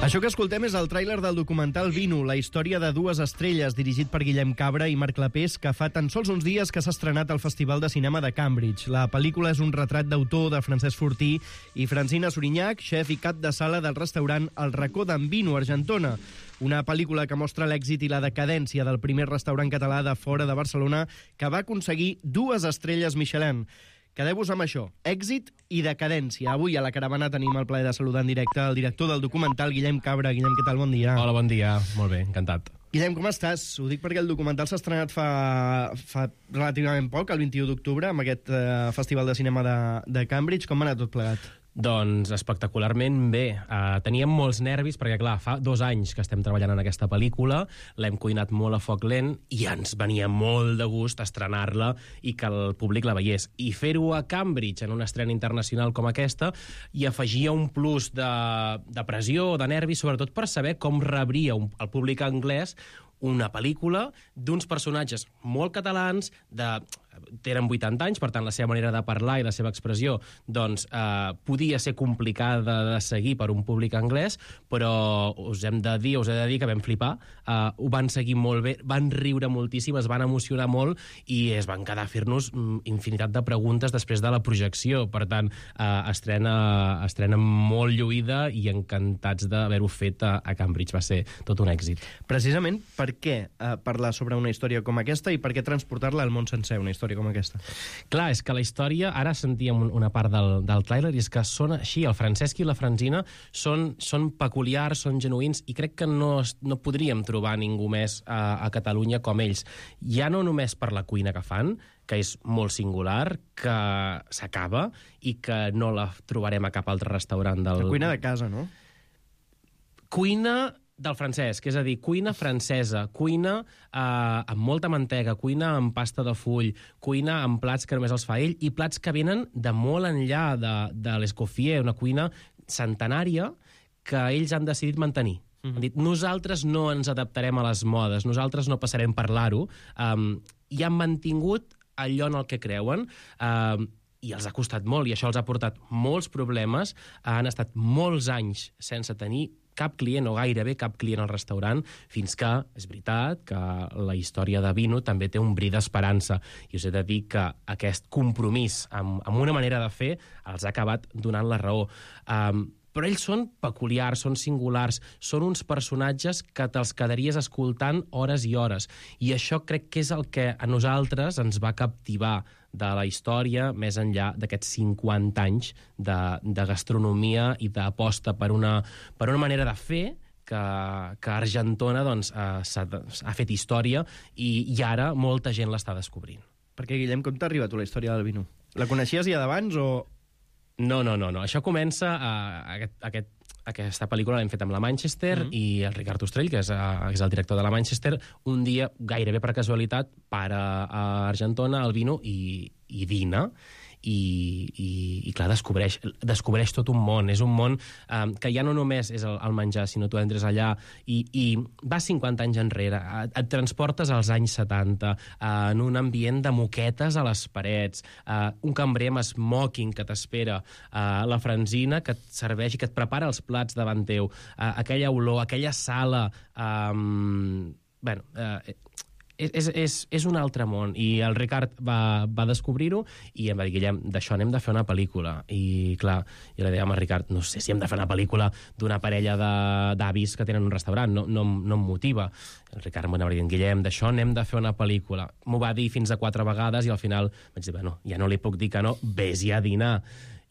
[SPEAKER 8] Això que escoltem és el tràiler del documental Vino, la història de dues estrelles, dirigit per Guillem Cabra i Marc Clapés, que fa tan sols uns dies que s'ha estrenat al Festival de Cinema de Cambridge. La pel·lícula és un retrat d'autor de Francesc Fortí i Francina Sorinyac, xef i cap de sala del restaurant El Racó d'en Vino, Argentona. Una pel·lícula que mostra l'èxit i la decadència del primer restaurant català de fora de Barcelona que va aconseguir 2 estrelles Michelin. Quedeu-vos amb això, èxit i decadència. Avui a la caravana tenim el plaer de saludar en directe el director del documental, Guillem Cabra. Guillem, què tal? Bon dia.
[SPEAKER 16] Hola, bon dia. Molt bé, encantat.
[SPEAKER 8] Guillem, com estàs? Ho dic perquè el documental s'ha estrenat fa relativament poc, el 21 d'octubre, amb aquest Festival de Cinema de Cambridge. Com va anar tot plegat?
[SPEAKER 16] Doncs espectacularment bé. Teníem molts nervis perquè, clar, fa 2 anys que estem treballant en aquesta pel·lícula, l'hem cuinat molt a foc lent i ens venia molt de gust estrenar-la i que el públic la veiés. I fer-ho a Cambridge, en una estrena internacional com aquesta, hi afegia un plus de pressió, de nervis, sobretot per saber com rebria el públic anglès una pel·lícula d'uns personatges molt catalans, tenen 80 anys, per tant la seva manera de parlar i la seva expressió doncs, podia ser complicada de seguir per un públic anglès, però us he de dir que vam flipar, ho van seguir molt bé, van riure moltíssim, es van emocionar molt i es van quedar a fer-nos infinitat de preguntes després de la projecció. Per tant, estrena molt lluïda i encantats d'haver-ho fet a Cambridge. Va ser tot un èxit.
[SPEAKER 8] Precisament per què parlar sobre una història com aquesta i per què transportar-la al món sencer, una història com aquesta?
[SPEAKER 16] Clar, és que la història, ara sentíem una part del tràiler, i és que són així, el Francesc i la Francina són peculiars, són genuïns, i crec que no podríem trobar ningú més a Catalunya com ells. Ja no només per la cuina que fan, que és molt singular, que s'acaba i que no la trobarem a cap altre restaurant del...
[SPEAKER 8] La cuina de casa, no?
[SPEAKER 16] Cuina del Francesc, és a dir, cuina francesa, cuina amb molta mantega, cuina amb pasta de full, cuina amb plats que només els fa ell, i plats que venen de molt enllà de l'Escoffier, una cuina centenària que ells han decidit mantenir. Han dit, nosaltres no ens adaptarem a les modes, nosaltres no passarem per l'aro, i han mantingut allò en el que creuen, i els ha costat molt, i això els ha portat molts problemes, han estat molts anys sense tenir cap client, o gairebé cap client al restaurant, fins que, és veritat, que la història de Vino també té un bri d'esperança. I us he de dir que aquest compromís amb una manera de fer els ha acabat donant la raó. Però ells són peculiars, són singulars, són uns personatges que te'ls quedaries escoltant hores i hores. I això crec que és el que a nosaltres ens va captivar de la història, més enllà d'aquests 50 anys de gastronomia i d'aposta per una manera de fer que Argentona doncs, ha fet història i ara molta gent l'està descobrint.
[SPEAKER 8] Perquè, Guillem, com t'ha arribat la història del Vino? La coneixies ja d'abans o...?
[SPEAKER 16] No. Això comença aquesta pel·lícula l'hem fet amb la Manchester i el Ricard Ostrell, que és el director de la Manchester, un dia, gairebé per casualitat, para a Argentona el Vino i dina. I clar, descobreix tot un món. És un món que ja no només és el menjar, sinó tu entres allà i vas 50 anys enrere, et transportes als anys 70, en un ambient de moquetes a les parets, un cambrer amb smoking que t'espera, la Francina que et serveix i que et prepara els plats davant teu, aquella olor, aquella sala... És un altre món, i el Ricard va descobrir-ho i em va dir, Guillem, d'això anem de fer una pel·lícula. I clar, jo li deia al Ricard, no sé si hem de fer una pel·lícula d'una parella d'avis que tenen un restaurant, no em motiva. El Ricard m'anava dient, Guillem, d'això anem de fer una pel·lícula. M'ho va dir fins a 4 vegades i al final vaig dir, bueno, ja no li puc dir que no, vés-hi a dinar.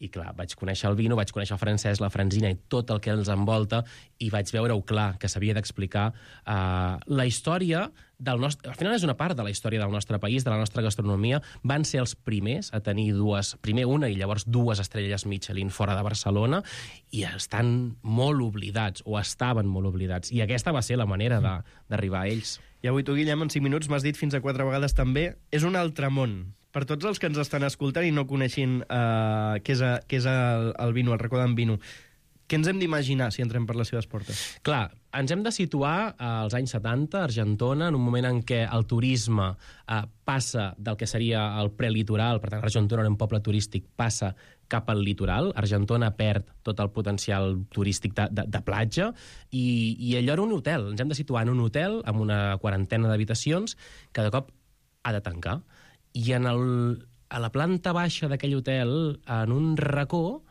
[SPEAKER 16] I clar, vaig conèixer el Vino, vaig conèixer el Francesc, la Francina i tot el que els envolta, i vaig veure-ho clar, que s'havia d'explicar la història del nostre... Al final és una part de la història del nostre país, de la nostra gastronomia. Van ser els primers a tenir primer una i llavors 2 estrelles Michelin fora de Barcelona, i estan molt oblidats, o estaven molt oblidats. I aquesta va ser la manera d'arribar a ells.
[SPEAKER 8] I avui tu, Guillem, en 5 minuts m'has dit fins a 4 vegades també, és un altre món. Per tots els que ens estan escoltant i no coneixin què és el Vino, el Racó d'en Vino, Què ens hem d'imaginar si entrem per les seves portes?
[SPEAKER 16] Clar, ens hem de situar als anys 70, a Argentona, en un moment en què el turisme passa del que seria el prelitoral, per tant, Argentona era un poble turístic, passa cap al litoral. Argentona perd tot el potencial turístic de platja i allò era un hotel. Ens hem de situar en un hotel amb una quarantena d'habitacions que de cop ha de tancar. I a la planta baixa d'aquell hotel, en un racó,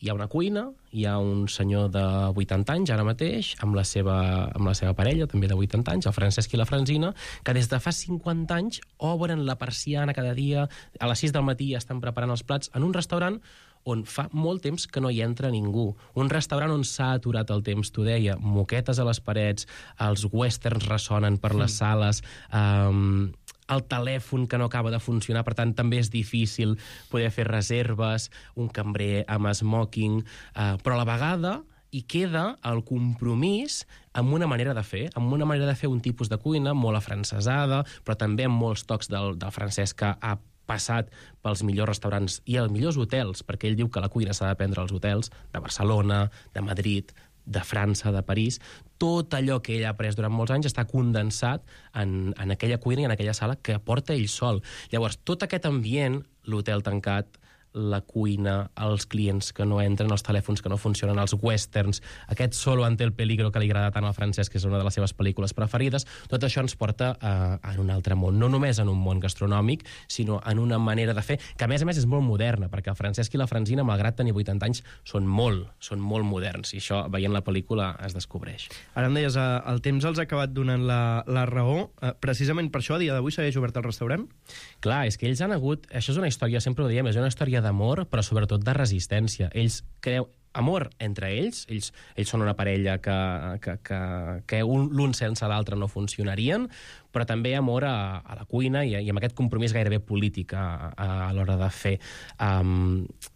[SPEAKER 16] hi ha una cuina, hi ha un senyor de 80 anys, ara mateix, amb la seva parella, també de 80 anys, el Francesc i la Francina, que des de fa 50 anys obren la persiana cada dia, a les 6 del matí estan preparant els plats, en un restaurant on fa molt temps que no hi entra ningú. Un restaurant on s'ha aturat el temps, t'ho deia, moquetes a les parets, els westerns ressonen per les sales, el telèfon que no acaba de funcionar, per tant, també és difícil poder fer reserves, un cambrer amb smoking, però a la vegada hi queda el compromís amb una manera de fer, un tipus de cuina molt afrancesada, però també amb molts tocs del francès que ha passat pels millors restaurants i els millors hotels, perquè ell diu que la cuina s'ha d'aprendre als hotels de Barcelona, de Madrid, de França, de París. Tot allò que ell ha après durant molts anys està condensat en aquella cuina i en aquella sala que porta ell sol. Llavors, tot aquest ambient, l'hotel tancat, la cuina, els clients que no entren, els telèfons que no funcionen, els westerns, aquest Solo ante el peligro que li agrada tant al Francesc, que és una de les seves pel·lícules preferides, tot això ens porta en un altre món, no només en un món gastronòmic, sinó en una manera de fer, que a més és molt moderna, perquè el Francesc i la Francina, malgrat tenir 80 anys, són molt moderns, i això, veient la pel·lícula, es descobreix.
[SPEAKER 8] Ara em deies, el temps els ha acabat donant la raó. Precisament per això, a dia d'avui, segueix obert el restaurant?
[SPEAKER 16] Clar, és que ells han hagut... Això és una història, sempre ho diem, és una història d'amor, però sobretot de resistència. Ells creuen amor entre ells són una parella que l'un sense l'altre no funcionarien, però també amor a la cuina i amb aquest compromís gairebé polític a l'hora de fer.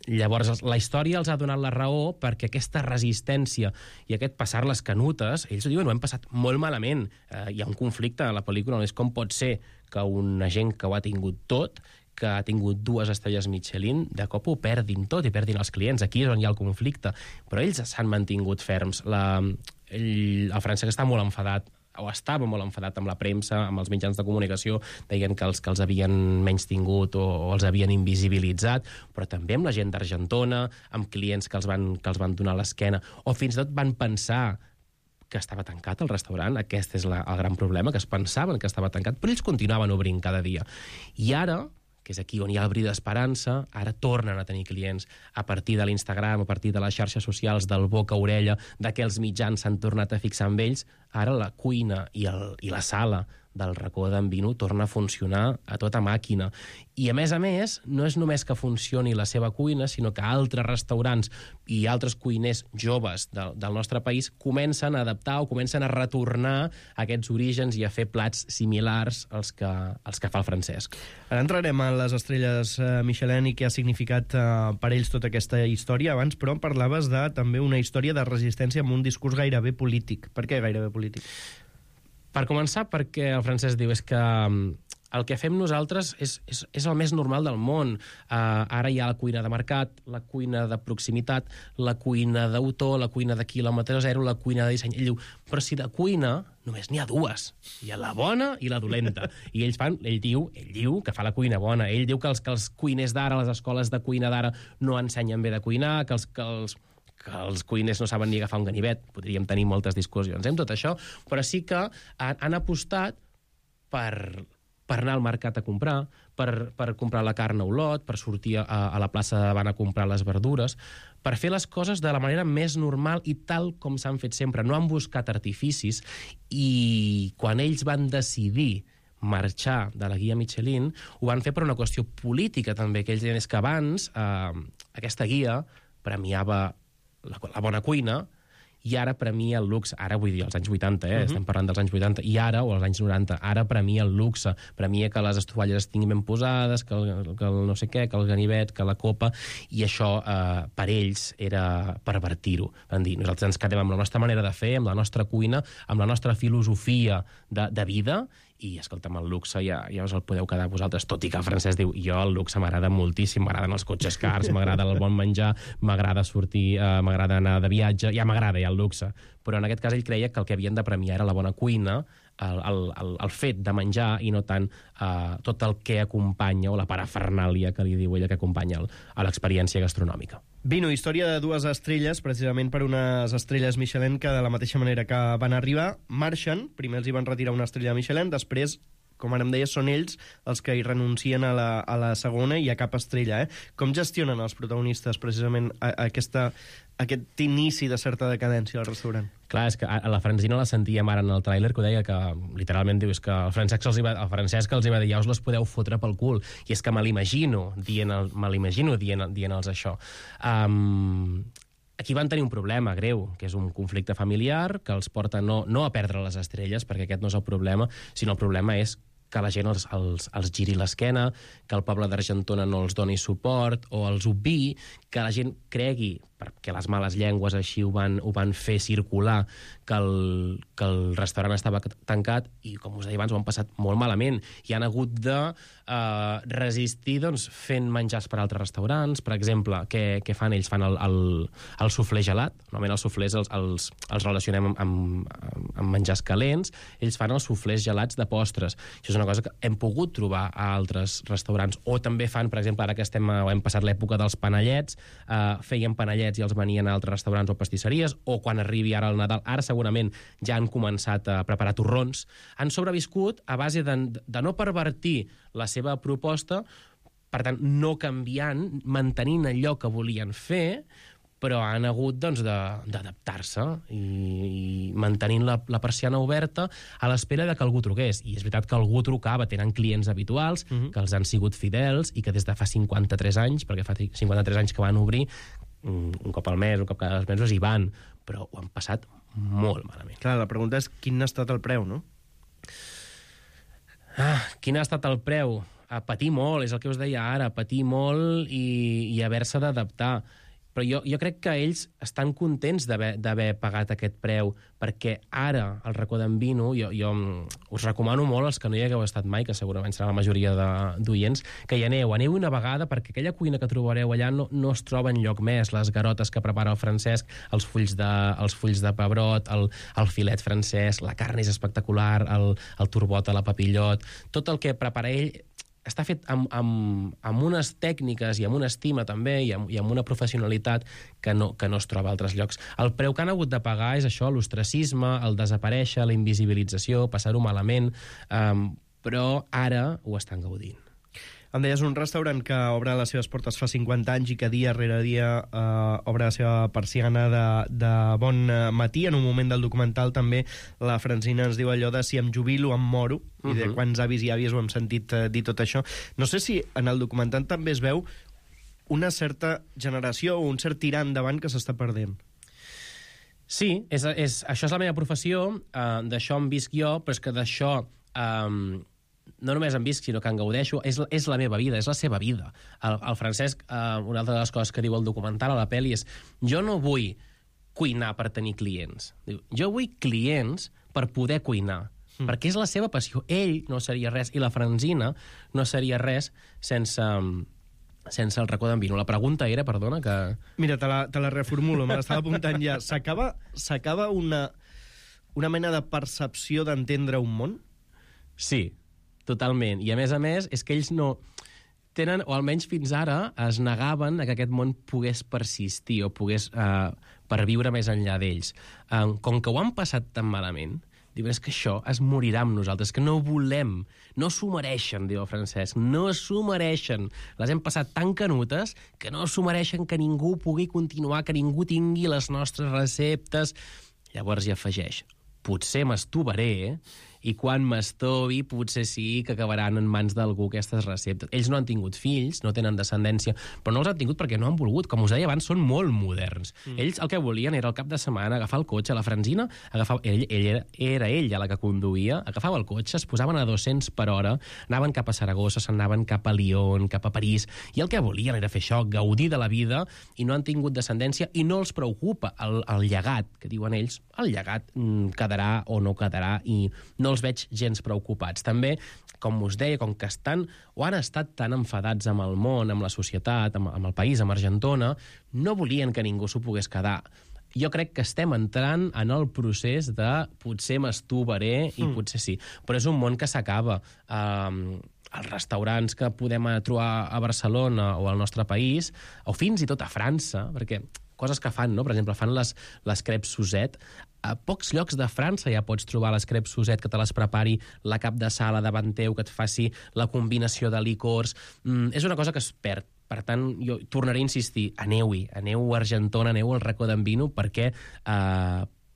[SPEAKER 16] Llavors, la història els ha donat la raó perquè aquesta resistència i aquest passar les canutes, ells ho diuen, ho hem passat molt malament. Hi ha un conflicte a la pel·lícula, no és com pot ser que una gent que ho ha tingut tot, que ha tingut 2 estrelles Michelin, de cop ho perdin tot i perdin els clients. Aquí és on hi ha el conflicte. Però ells s'han mantingut ferms. El Francesc està molt enfadat, o estava molt enfadat amb la premsa, amb els mitjans de comunicació, deien que els havien menystingut o els havien invisibilitzat, però també amb la gent d'Argentona, amb clients que els van donar l'esquena, o fins i tot van pensar que estava tancat el restaurant. Aquest és el gran problema, que es pensaven que estava tancat, però ells continuaven obrint cada dia. I ara, que és aquí on hi ha el bri d'esperança, ara tornen a tenir clients a partir de l'Instagram, a partir de les xarxes socials, del boca a orella, que els mitjans s'han tornat a fixar en ells. Ara la cuina i la sala del racó d'en Vino torna a funcionar a tota màquina. I, a més, no és només que funcioni la seva cuina, sinó que altres restaurants i altres cuiners joves del nostre país comencen a adaptar o comencen a retornar a aquests orígens i a fer plats similars als que fa el Francesc.
[SPEAKER 8] Ara entrarem a les estrelles Michelin i què ha significat per ells tota aquesta història. Abans, però, parlaves de també una història de resistència amb un discurs gairebé polític. Per què gairebé polític?
[SPEAKER 16] Per començar, perquè el Francesc diu és que el que fem nosaltres és el més normal del món. Ara hi ha la cuina de mercat, la cuina de proximitat, la cuina d'autor, la cuina de quilòmetre zero, la cuina de disseny. Ell diu, però si de cuina només n'hi ha 2. Hi ha la bona i la dolenta. I ell diu que fa la cuina bona. Ell diu que els cuiners d'ara, les escoles de cuina d'ara, no ensenyen bé de cuinar, que els cuiners no saben ni agafar un ganivet. Podríem tenir moltes discussions amb tot això, però sí que han apostat per anar al mercat a comprar, per comprar la carn a Olot, per sortir a la plaça de davant a comprar les verdures, per fer les coses de la manera més normal i tal com s'han fet sempre. No han buscat artificis, i quan ells van decidir marxar de la guia Michelin, ho van fer per una qüestió política també, que ells deien és que abans aquesta guia premiava la bona cuina i ara premia el luxe. Ara vull dir, als anys 80, estem parlant dels anys 80, i ara, o als anys 90, ara premia el luxe, premia que les estovalles estiguin ben posades, que el no sé què, que el ganivet, que la copa, i això per ells era pervertir-ho. Van dir, nosaltres ens quedem amb la nostra manera de fer, amb la nostra cuina, amb la nostra filosofia de vida, i, escolta'm, el luxe ja us el podeu quedar vosaltres, tot i que el francès diu, jo el luxe m'agrada moltíssim, m'agraden els cotxes cars, m'agrada el bon menjar, m'agrada sortir, m'agrada anar de viatge, ja m'agrada el luxe. Però en aquest cas ell creia que el que havien de premiar era la bona cuina, el fet de menjar, i no tant tot el que acompanya, o la parafernàlia que li diu ella que acompanya a l'experiència gastronòmica.
[SPEAKER 8] Vino, història de 2 estrelles, precisament per unes estrelles Michelin que de la mateixa manera que van arribar, marxen, primer els hi van retirar una estrella Michelin, després, com ara em deies, són ells els que hi renuncien a la segona i a cap estrella. Com gestionen els protagonistes precisament aquest inici de certa decadència al restaurant?
[SPEAKER 16] Clar, és que a la Francina la sentíem ara en el tràiler, que ho deia, que literalment diu, és que el Francesc els hi va dir, ja us les podeu fotre pel cul, i és que me l'imagino dient-los això. Aquí van tenir un problema greu, que és un conflicte familiar que els porta no a perdre les estrelles, perquè aquest no és el problema, sinó el problema és que la gent els giri l'esquena, que el poble d'Argentona no els doni suport, o els obviï, que la gent cregui, perquè les males llengües així ho van fer circular, que el restaurant estava tancat, i, com us deia abans, ho han passat molt malament, i han hagut de resistir fent menjars per altres restaurants. Per exemple, què fan ells? Fan el suflé gelat. Normalment els suflés els relacionem amb menjars calents. Ells fan els suflés gelats de postres. Això és una cosa que hem pogut trobar a altres restaurants. O també fan, per exemple, ara que hem passat l'època dels panellets, feien panellets i els venien a altres restaurants o pastisseries, o quan arribi ara el Nadal, ara segurament ja han començat a preparar torrons. Han sobreviscut a base de no pervertir la seva proposta, per tant, no canviant, mantenint allò que volien fer, però han hagut d'adaptar-se i mantenint la persiana oberta a l'espera de que algú truqués. I és veritat que algú trucava, tenen clients habituals, que els han sigut fidels i que des de fa 53 anys, perquè fa 53 anys que van obrir, un cop al mes, un cop cada 2 mesos, hi van, però ho han passat molt malament.
[SPEAKER 8] Clar, la pregunta és quin ha estat el preu, no?
[SPEAKER 16] Quin ha estat el preu? Patir molt, és el que us deia ara, patir molt i haver-se d'adaptar. Però jo crec que ells estan contents d'haver pagat aquest preu, perquè ara, al Racó d'en Vino, jo us recomano molt, els que no hi hagueu estat mai, que segurament serà la majoria d'oients, que hi aneu una vegada, perquè aquella cuina que trobareu allà no es troba enlloc més. Les garotes que prepara el Francesc, els fulls de pebrot, el filet francès, la carn és espectacular, el turbot a la papillot, tot el que prepara ell està fet amb unes tècniques i amb una estima també i amb una professionalitat que no es troba a altres llocs. El preu que han hagut de pagar és això, l'ostracisme, el desaparèixer, la invisibilització, passar-ho malament, però ara ho estan gaudint.
[SPEAKER 8] Em deies, un restaurant que obre les seves portes fa 50 anys i que dia rere dia obre la seva persiana de bon matí. En un moment del documental també la Francina ens diu allò de si em jubilo em moro, i de quants avis i àvies ho hem sentit dir tot això. No sé si en el documental també es veu una certa generació o un cert tirar endavant que s'està perdent.
[SPEAKER 16] Sí, això és la meva professió, d'això em visc jo, però és que d'això no només en visc, sinó que en gaudeixo, és la meva vida, és la seva vida. El Francesc, una altra de les coses que diu el documental a la pel·li és: jo no vull cuinar per tenir clients. Diu, jo vull clients per poder cuinar, perquè és la seva passió. Ell no seria res, i la Francina no seria res sense el Racó d'en Vino. La pregunta era, perdona, que...
[SPEAKER 8] Mira, te la reformulo, me l'estava apuntant ja. S'acaba una mena de percepció d'entendre un món?
[SPEAKER 16] Sí, totalment. I a més, és que ells no tenen, o almenys fins ara, es negaven a que aquest món pogués persistir o pogués perviure més enllà d'ells. Com que ho han passat tan malament, diuen, és que això es morirà amb nosaltres, que no volem, no s'ho mereixen, diu el Francesc, no s'ho mereixen. Les hem passat tan canutes que no s'ho mereixen, que ningú pugui continuar, que ningú tingui les nostres receptes. Llavors hi afegeix: potser m'estovaré i quan m'estovi potser sí que acabaran en mans d'algú aquestes receptes. Ells no han tingut fills, no tenen descendència, però no els han tingut perquè no han volgut. Com us deia abans, són molt moderns. Ells el que volien era el cap de setmana agafar el cotxe, la Francina, era ella la que conduïa, agafava el cotxe, es posaven a 200 per hora, anaven cap a Saragossa, s'anaven cap a Lyon, cap a París, i el que volien era fer això, gaudir de la vida, i no han tingut descendència, i no els preocupa el llegat, que diuen ells, el llegat quedarà o no quedarà, i no els veig gens preocupats. També, com us deia, com que estan o han estat tan enfadats amb el món, amb la societat, amb el país, amb Argentona, no volien que ningú s'ho pogués quedar. Jo crec que estem entrant en el procés de potser m'estovaré i potser sí. Però és un món que s'acaba. Els restaurants que podem trobar a Barcelona o al nostre país, o fins i tot a França, perquè coses que fan, no? Per exemple, fan les crepes Suzette. A pocs llocs de França ja pots trobar les crepes Suzette, que te les prepari la cap de sala davant teu, que et faci la combinació de licors. És una cosa que es perd. Per tant, jo tornaré a insistir, aneu-hi, aneu a Argentona, aneu al racó d'en Vino, perquè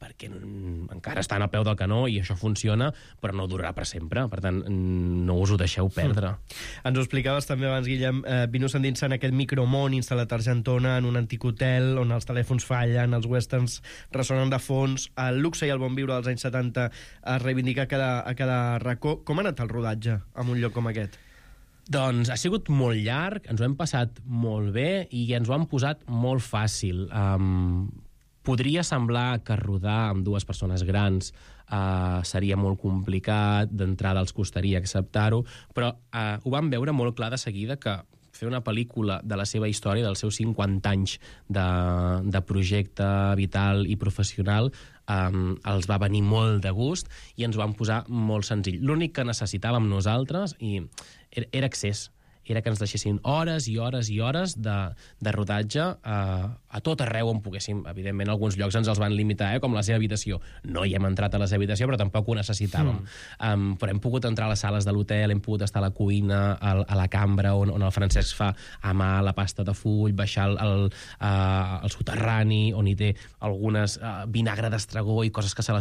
[SPEAKER 16] encara estan al peu del canó i això funciona, però no durarà per sempre. Per tant, no us ho deixeu perdre.
[SPEAKER 8] Ens ho explicaves també abans, Guillem, Vino s'endinsa en aquest micromón instal·lat a Argentona, en un antic hotel on els telèfons fallen, els westerns ressonen de fons, el luxe i el bon viure dels anys 70 es reivindica a cada racó. Com ha anat el rodatge en un lloc com aquest?
[SPEAKER 16] Doncs ha sigut molt llarg, ens ho hem passat molt bé i ens ho han posat molt fàcil. Podria semblar que rodar amb dues persones grans seria molt complicat, d'entrada els costaria acceptar-ho, però ho vam veure molt clar de seguida que fer una pel·lícula de la seva història, dels seus 50 anys de projecte vital i professional, els va venir molt de gust i ens ho van posar molt senzill. L'únic que necessitàvem nosaltres era accés. Era que ens deixessin hores i hores i hores de rodatge a tot arreu on poguéssim. Evidentment, alguns llocs ens els van limitar, com la seva habitació. No hi hem entrat a la seva habitació, però tampoc ho necessitàvem. Però hem pogut entrar a les sales de l'hotel, hem pogut estar a la cuina, a la cambra, on el Francesc fa a mà la pasta de full, baixar al soterrani, on hi té algunes vinagre d'estragó i coses que se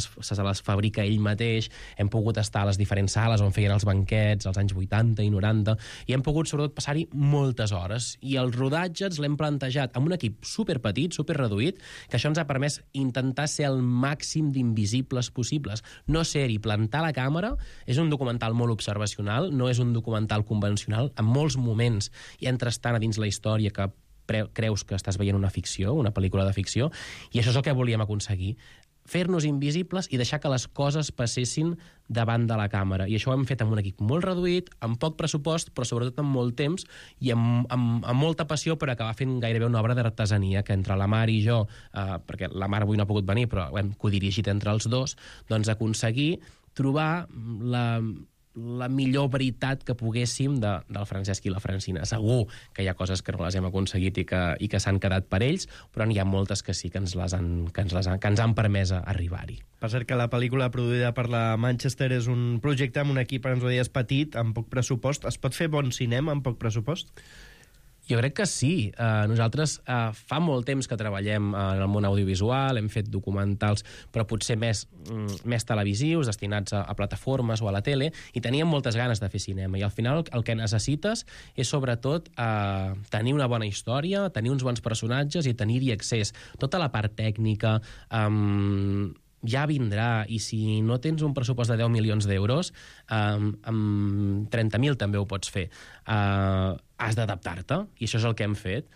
[SPEAKER 16] les fabrica ell mateix. Hem pogut estar a les diferents sales on feien els banquets, als anys 80 i 90, i hem pogut sobretot passar-hi moltes hores. I el rodatge ens l'hem plantejat amb un equip superpetit, superreduït, que això ens ha permès intentar ser el màxim d'invisibles possibles. No ser-hi, plantar la càmera. És un documental molt observacional, no és un documental convencional. En molts moments hi entres tant a dins la història que creus que estàs veient una ficció, una pel·lícula de ficció, i això és el que volíem aconseguir. Fer-nos invisibles i deixar que les coses passessin davant de la càmera. I això ho hem fet amb un equip molt reduït, amb poc pressupost, però sobretot amb molt temps i amb molta passió per acabar fent gairebé una obra d'artesania, que entre la Mar i jo, perquè la Mar avui no ha pogut venir, però ho hem codirigit entre els dos, doncs aconseguir trobar la millor veritat que poguéssim del Francesc i la Francina. Segur que hi ha coses que no les hem aconseguit i que s'han quedat per ells, però n'hi ha moltes que sí que ens han permès arribar-hi.
[SPEAKER 8] Per cert que la pel·lícula produïda per la Manchester és un projecte amb un equip, ens ho deies, petit, amb poc pressupost. Es pot fer bon cinema amb poc pressupost?
[SPEAKER 16] Jo crec que sí. Nosaltres fa molt temps que treballem en el món audiovisual, hem fet documentals, però potser més televisius, destinats a plataformes o a la tele, i teníem moltes ganes de fer cinema. I al final el que necessites és sobretot tenir una bona història, tenir uns bons personatges i tenir-hi accés. Tota la part tècnica ja vindrà, i si no tens un pressupost de 10 milions d'euros, amb 30.000 també ho pots fer. Has d'adaptar-te, i això és el que hem fet.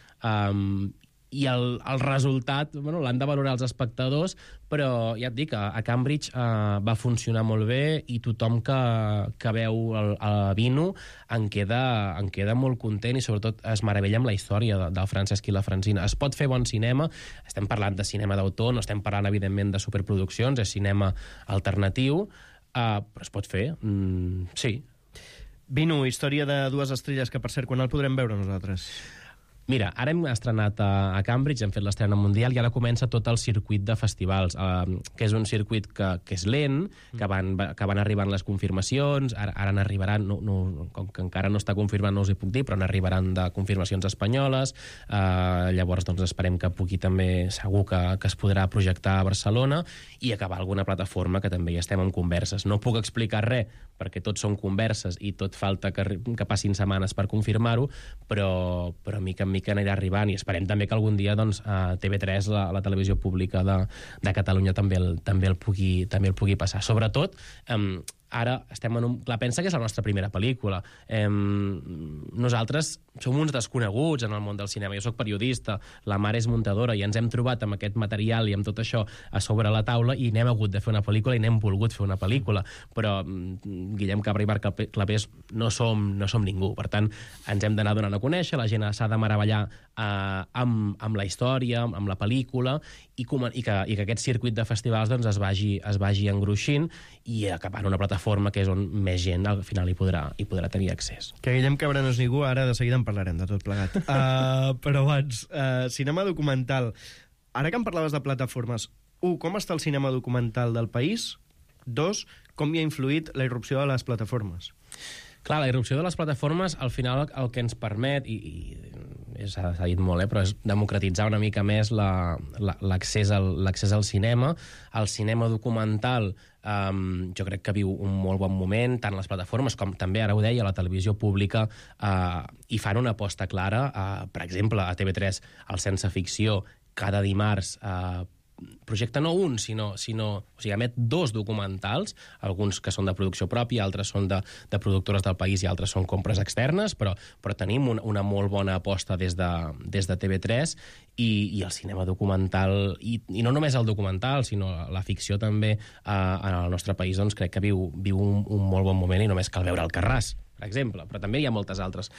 [SPEAKER 16] I el resultat l'han de valorar els espectadors, però ja et dic, a Cambridge va funcionar molt bé i tothom que veu el Vino en queda molt content i sobretot es meravella amb la història del Francesc i la Francina. Es pot fer bon cinema, estem parlant de cinema d'autor, no estem parlant evidentment de superproduccions, és cinema alternatiu, però es pot fer, sí.
[SPEAKER 8] Vino, història de dues estrelles, que per cert, quan el podrem veure nosaltres?
[SPEAKER 16] Mira, ara hem estrenat a Cambridge, hem fet l'estrena mundial i ara comença tot el circuit de festivals, que és un circuit que és lent, que van arribant les confirmacions, ara n'arribaran, com que encara no està confirmat no us hi puc dir, però n'arribaran de confirmacions espanyoles, llavors doncs esperem que pugui també, segur que es podrà projectar a Barcelona i acabar alguna plataforma que també hi estem en converses. No puc explicar res, perquè tot són converses i tot falta que passin setmanes per confirmar-ho, però mica en mica anirà arribant i esperem també que algun dia doncs, TV3, la televisió pública de Catalunya, també el pugui passar. Sobretot, ara estem en un... Clar, pensa que és la nostra primera pel·lícula. Nosaltres som uns desconeguts en el món del cinema. Jo soc periodista, la mare és muntadora i ens hem trobat amb aquest material i amb tot això a sobre la taula i n'hem hagut de fer una pel·lícula i n'hem volgut fer una pel·lícula. Però Guillem Cabra i Marc Clapés no som ningú. Per tant, ens hem d'anar donant a conèixer, la gent s'ha de meravellar amb la història, amb la pel·lícula i que aquest circuit de festivals doncs, es vagi engruixint i acabant una plataforma que és on més gent al final hi podrà tenir accés.
[SPEAKER 8] Que Guillem Cabra no és ningú, ara de seguida en parlarem de tot plegat. Però abans, cinema documental. Ara que em parlaves de plataformes, 1. Com està el cinema documental del país? 2. Com hi ha influït la irrupció de les plataformes?
[SPEAKER 16] Clar, la irrupció de les plataformes, al final el que ens permet, i s'ha dit molt, però és democratitzar una mica més l'accés al cinema. El cinema documental jo crec que viu un molt bon moment, tant les plataformes com també, ara ho deia, la televisió pública, i fan una aposta clara. Per exemple, a TV3, el Sense Ficció, cada dimarts projecta no un, sinó o sigui, emet 2 documentals, alguns que són de producció pròpia, altres són de productores del país i altres són compres externes, però tenim una molt bona aposta des de TV3 i el cinema documental, i no només el documental, sinó la ficció també en el nostre país, doncs crec que viu un molt bon moment i només cal veure Alcarràs, per exemple, però també hi ha moltes altres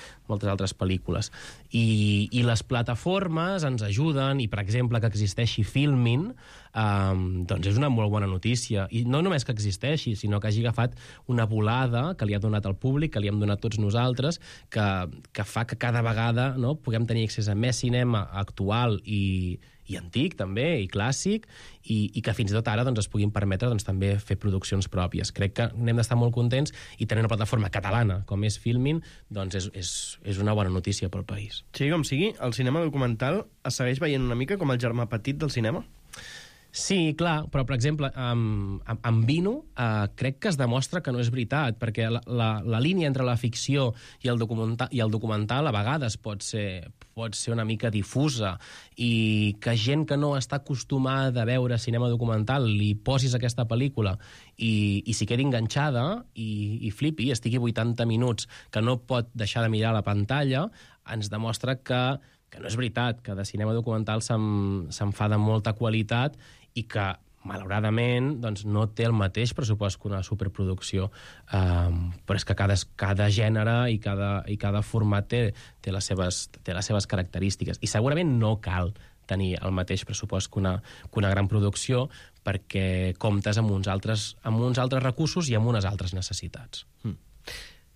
[SPEAKER 16] pel·lícules. I les plataformes ens ajuden, i per exemple que existeixi Filmin, doncs és una molt bona notícia. I no només que existeixi, sinó que hagi agafat una volada que li ha donat al públic, que li hem donat tots nosaltres, que fa que cada vegada puguem tenir accés a més cinema actual i antic, també, i clàssic, i que fins i tot ara es puguin permetre també fer produccions pròpies. Crec que n'hem d'estar molt contents i tenir una plataforma catalana com és Filmin, doncs és una bona notícia pel país.
[SPEAKER 8] Sigui com sigui, el cinema documental es segueix veient una mica com el germà petit del cinema?
[SPEAKER 16] Sí, clar, però, per exemple, amb Vino crec que es demostra que no és veritat, perquè la línia entre la ficció i el documental a vegades pot ser una mica difusa, i que gent que no està acostumada a veure cinema documental li posis aquesta pel·lícula i s'hi quedi enganxada i flipi, i estigui 80 minuts que no pot deixar de mirar la pantalla, ens demostra que no és veritat, que de cinema documental se'n fa de molta qualitat i que, malauradament, doncs, no té el mateix pressupost que una superproducció. Però és que cada gènere i cada format té les seves característiques. I segurament no cal tenir el mateix pressupost que una gran producció, perquè comptes amb uns altres recursos i amb unes altres necessitats.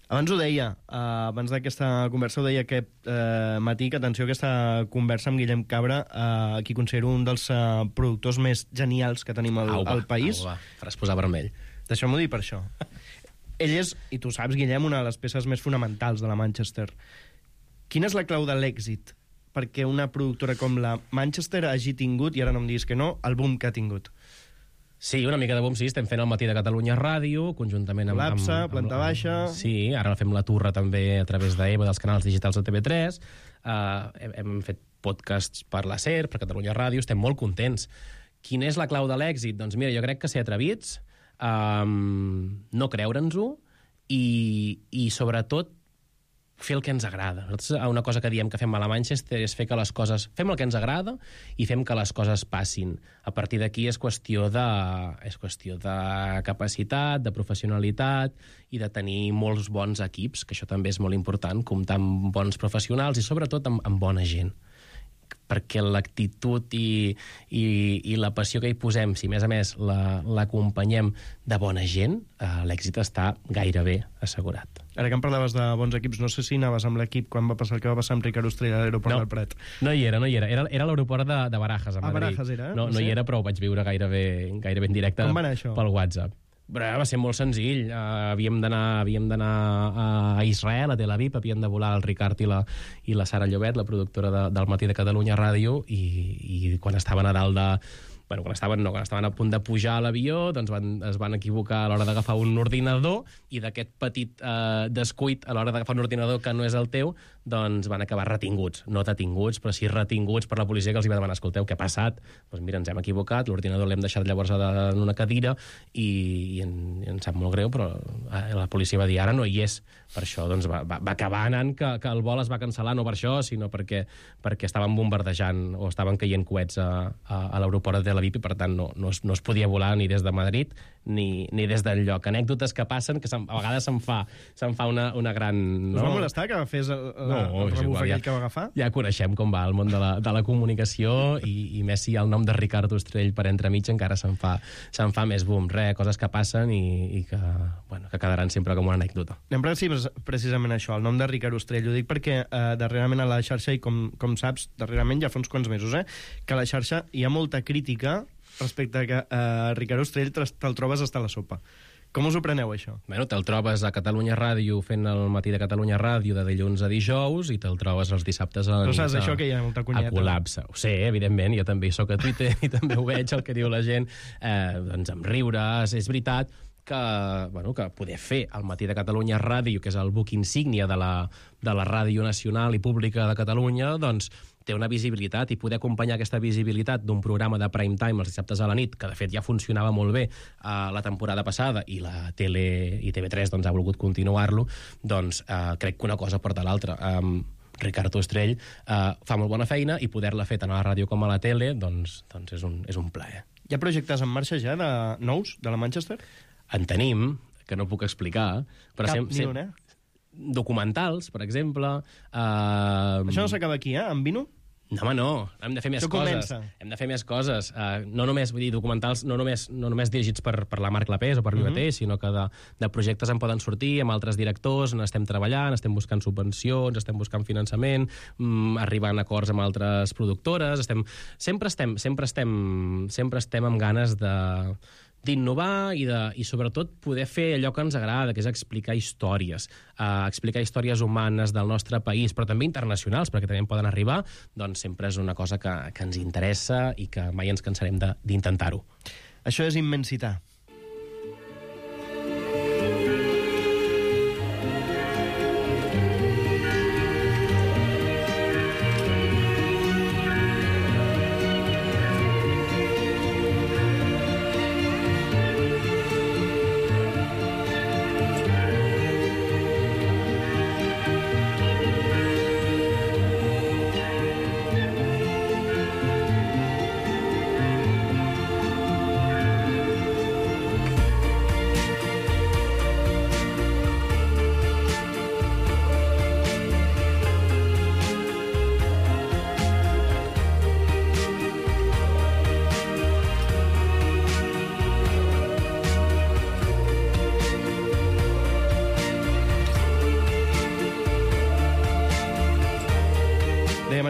[SPEAKER 8] Abans ho deia, abans d'aquesta conversa ho deia aquest matí, que atenció a aquesta conversa amb Guillem Cabra, qui considero un dels productors més genials que tenim al país.
[SPEAKER 16] Faràs posar vermell.
[SPEAKER 8] Deixeu-m'ho dir per això. Ell és, i tu saps, Guillem, una de les peces més fonamentals de la Manchester. Quina és la clau de l'èxit perquè una productora com la Manchester hagi tingut, i ara no em diguis que no, el boom que ha tingut?
[SPEAKER 16] Sí, una mica de boom, sí. Estem fent el Matí de Catalunya Ràdio, conjuntament amb...
[SPEAKER 8] L'APSA, Planta Baixa...
[SPEAKER 16] Sí, ara fem la Turra també a través d'EVA, dels canals digitals de TV3. Hem fet podcasts per la SER, per Catalunya Ràdio, estem molt contents. Quina és la clau de l'èxit? Doncs mira, jo crec que ser atrevits, no creure'ns-ho i sobretot fer el que ens agrada. Nosaltres una cosa que diem que fem a la Manchester és fer que les coses... Fem el que ens agrada i fem que les coses passin. A partir d'aquí és qüestió de capacitat, de professionalitat i de tenir molts bons equips, que això també és molt important, comptar amb bons professionals i sobretot amb bona gent. Perquè l'actitud i la passió que hi posem, si a més l'acompanyem de bona gent, l'èxit està gairebé assegurat.
[SPEAKER 8] Ara que em parlaves de bons equips, no sé si anaves amb l'equip quan va passar el que va passar amb Ricard Ostrell a l'aeroport del Prat.
[SPEAKER 16] No hi era. Era l'aeroport de Barajas, a Madrid.
[SPEAKER 8] Barajas era?
[SPEAKER 16] No hi era, però ho vaig viure gairebé en directe.
[SPEAKER 8] Com va anar això?
[SPEAKER 16] Pel WhatsApp. Va ser molt senzill. Havíem d'anar a Israel, a Tel Aviv, havien de volar el Ricard i la Sara Llobet, la productora del Matí de Catalunya Ràdio, i quan estaven a dalt de... Bueno, quan estaven a punt de pujar a l'avió, doncs es van equivocar a l'hora d'agafar un ordinador, i d'aquest petit descuit a l'hora d'agafar un ordinador que no és el teu, doncs van acabar retinguts. No detinguts, però sí retinguts per la policia, que els hi va demanar: escolteu, què ha passat? Doncs mira, ens hem equivocat, l'ordinador l'hem deixat llavors en una cadira, i ens sap molt greu, però la policia va dir: ara no hi és. Per això doncs, va acabar anant que el vol es va cancel·lar, no per això, sinó perquè estaven bombardejant o estaven caient coets a l'aeroport de Tel Aviv, i per tant no es podia volar ni des de Madrid ni des d'enlloc. Anècdotes que passen, que a vegades se'n fa una gran...
[SPEAKER 8] Us va molestar que fes el rebuf aquell que va agafar?
[SPEAKER 16] Ja coneixem com va el món de la comunicació, i més si el nom de Ricard Ostrell per entremig encara se'n fa més boom. Coses que passen i que quedaran sempre com una anècdota.
[SPEAKER 8] Anem precisament això, el nom de Ricard Ostrell. Ho dic perquè darrerament a la xarxa, i com saps, darrerament ja fa uns quants mesos, que a la xarxa hi ha molta crítica respecte a que Ricard Ostrell te'l trobes hasta la sopa. Com us ho preneu, això?
[SPEAKER 16] Bueno, te'l trobes a Catalunya Ràdio fent el Matí de Catalunya Ràdio de dilluns a dijous, i te'l trobes els dissabtes a la nit.
[SPEAKER 8] Però saps això, que hi ha molta conyeta?
[SPEAKER 16] A Col·lapse. Ho sé, evidentment, jo també hi soc a Twitter i també ho veig, el que diu la gent, doncs amb riures. És veritat que poder fer el Matí de Catalunya Ràdio, que és el buc insígnia de la Ràdio Nacional i Pública de Catalunya, doncs té una visibilitat, i poder acompanyar aquesta visibilitat d'un programa de prime time els dissabtes a la nit, que de fet ja funcionava molt bé la temporada passada, i la tele i TV3 doncs, ha volgut continuar-lo, doncs crec que una cosa porta l'altra. Ricard Ostrell fa molt bona feina, i poder-la fer tant a la ràdio com a la tele doncs és un plaer.
[SPEAKER 8] Hi ha projectes en marxa ja de nous, de la Manchester?
[SPEAKER 16] En tenim, que no puc explicar. Però
[SPEAKER 8] ni un,
[SPEAKER 16] documentals, per exemple.
[SPEAKER 8] Això no s'acaba aquí, amb Vino?
[SPEAKER 16] No, home, no. Hem de fer més coses. Hem de fer més coses. No només, vull dir, documentals no només dirigits per la Marc Lapés o per Vivater, sinó que de projectes en poden sortir amb altres directors, n'estem treballant, estem buscant subvencions, estem buscant finançament, arribant a acords amb altres productores. Sempre estem amb ganes d'innovar i sobretot poder fer allò que ens agrada, que és explicar històries humanes del nostre país, però també internacionals, perquè també en poden arribar. Doncs sempre és una cosa que ens interessa i que mai ens cansarem d'intentar-ho.
[SPEAKER 8] Això és immensitat.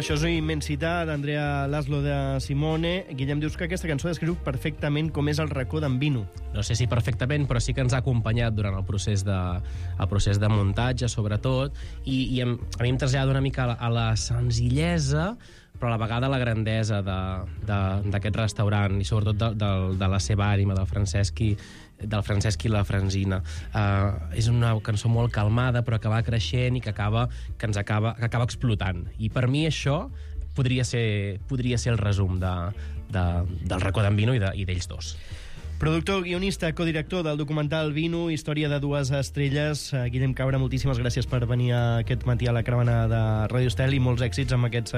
[SPEAKER 8] Això és Immensitat, d'Andrea Laszlo de Simone. Guillem, dius que aquesta cançó descriu perfectament com és el racó d'en Vino.
[SPEAKER 16] No sé si perfectament, però sí que ens ha acompanyat durant el procés de muntatge, sobretot, i a mi em trasllada una mica a la senzillesa, però a la vegada la grandesa d'aquest restaurant, i sobretot de la seva ànima, del Francesc i la Francina. És una cançó molt calmada, però que va creixent i que acaba explotant. I per mi això podria ser el resum del racó d'en Vino i d'ells dos.
[SPEAKER 8] Productor, guionista, codirector del documental Vino, història de dues estrelles. Guillem Cabra, moltíssimes gràcies per venir aquest matí a la caravana de Ràdio Estel, i molts èxits amb aquest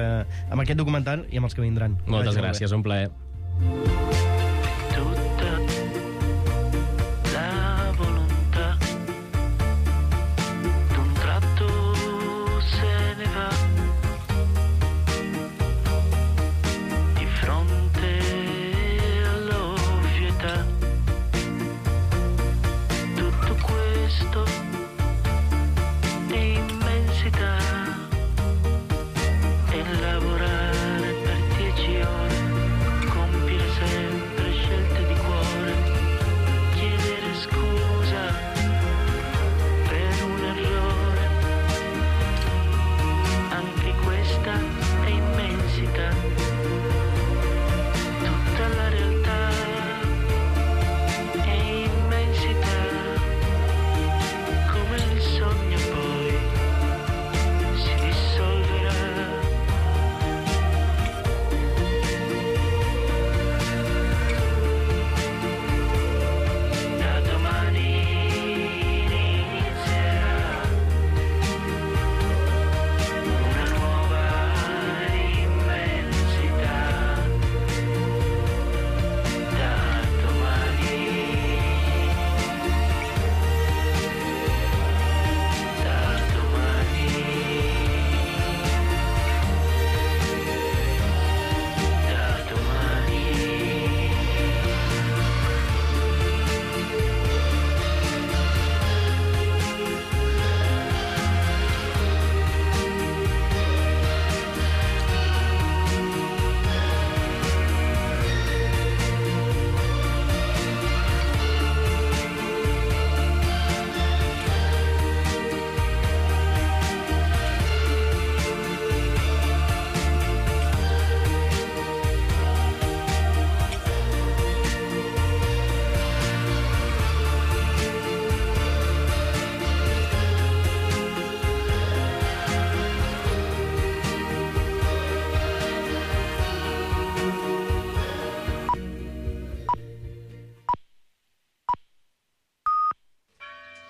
[SPEAKER 8] documental i amb els que vindran.
[SPEAKER 16] Moltes gràcies, un plaer.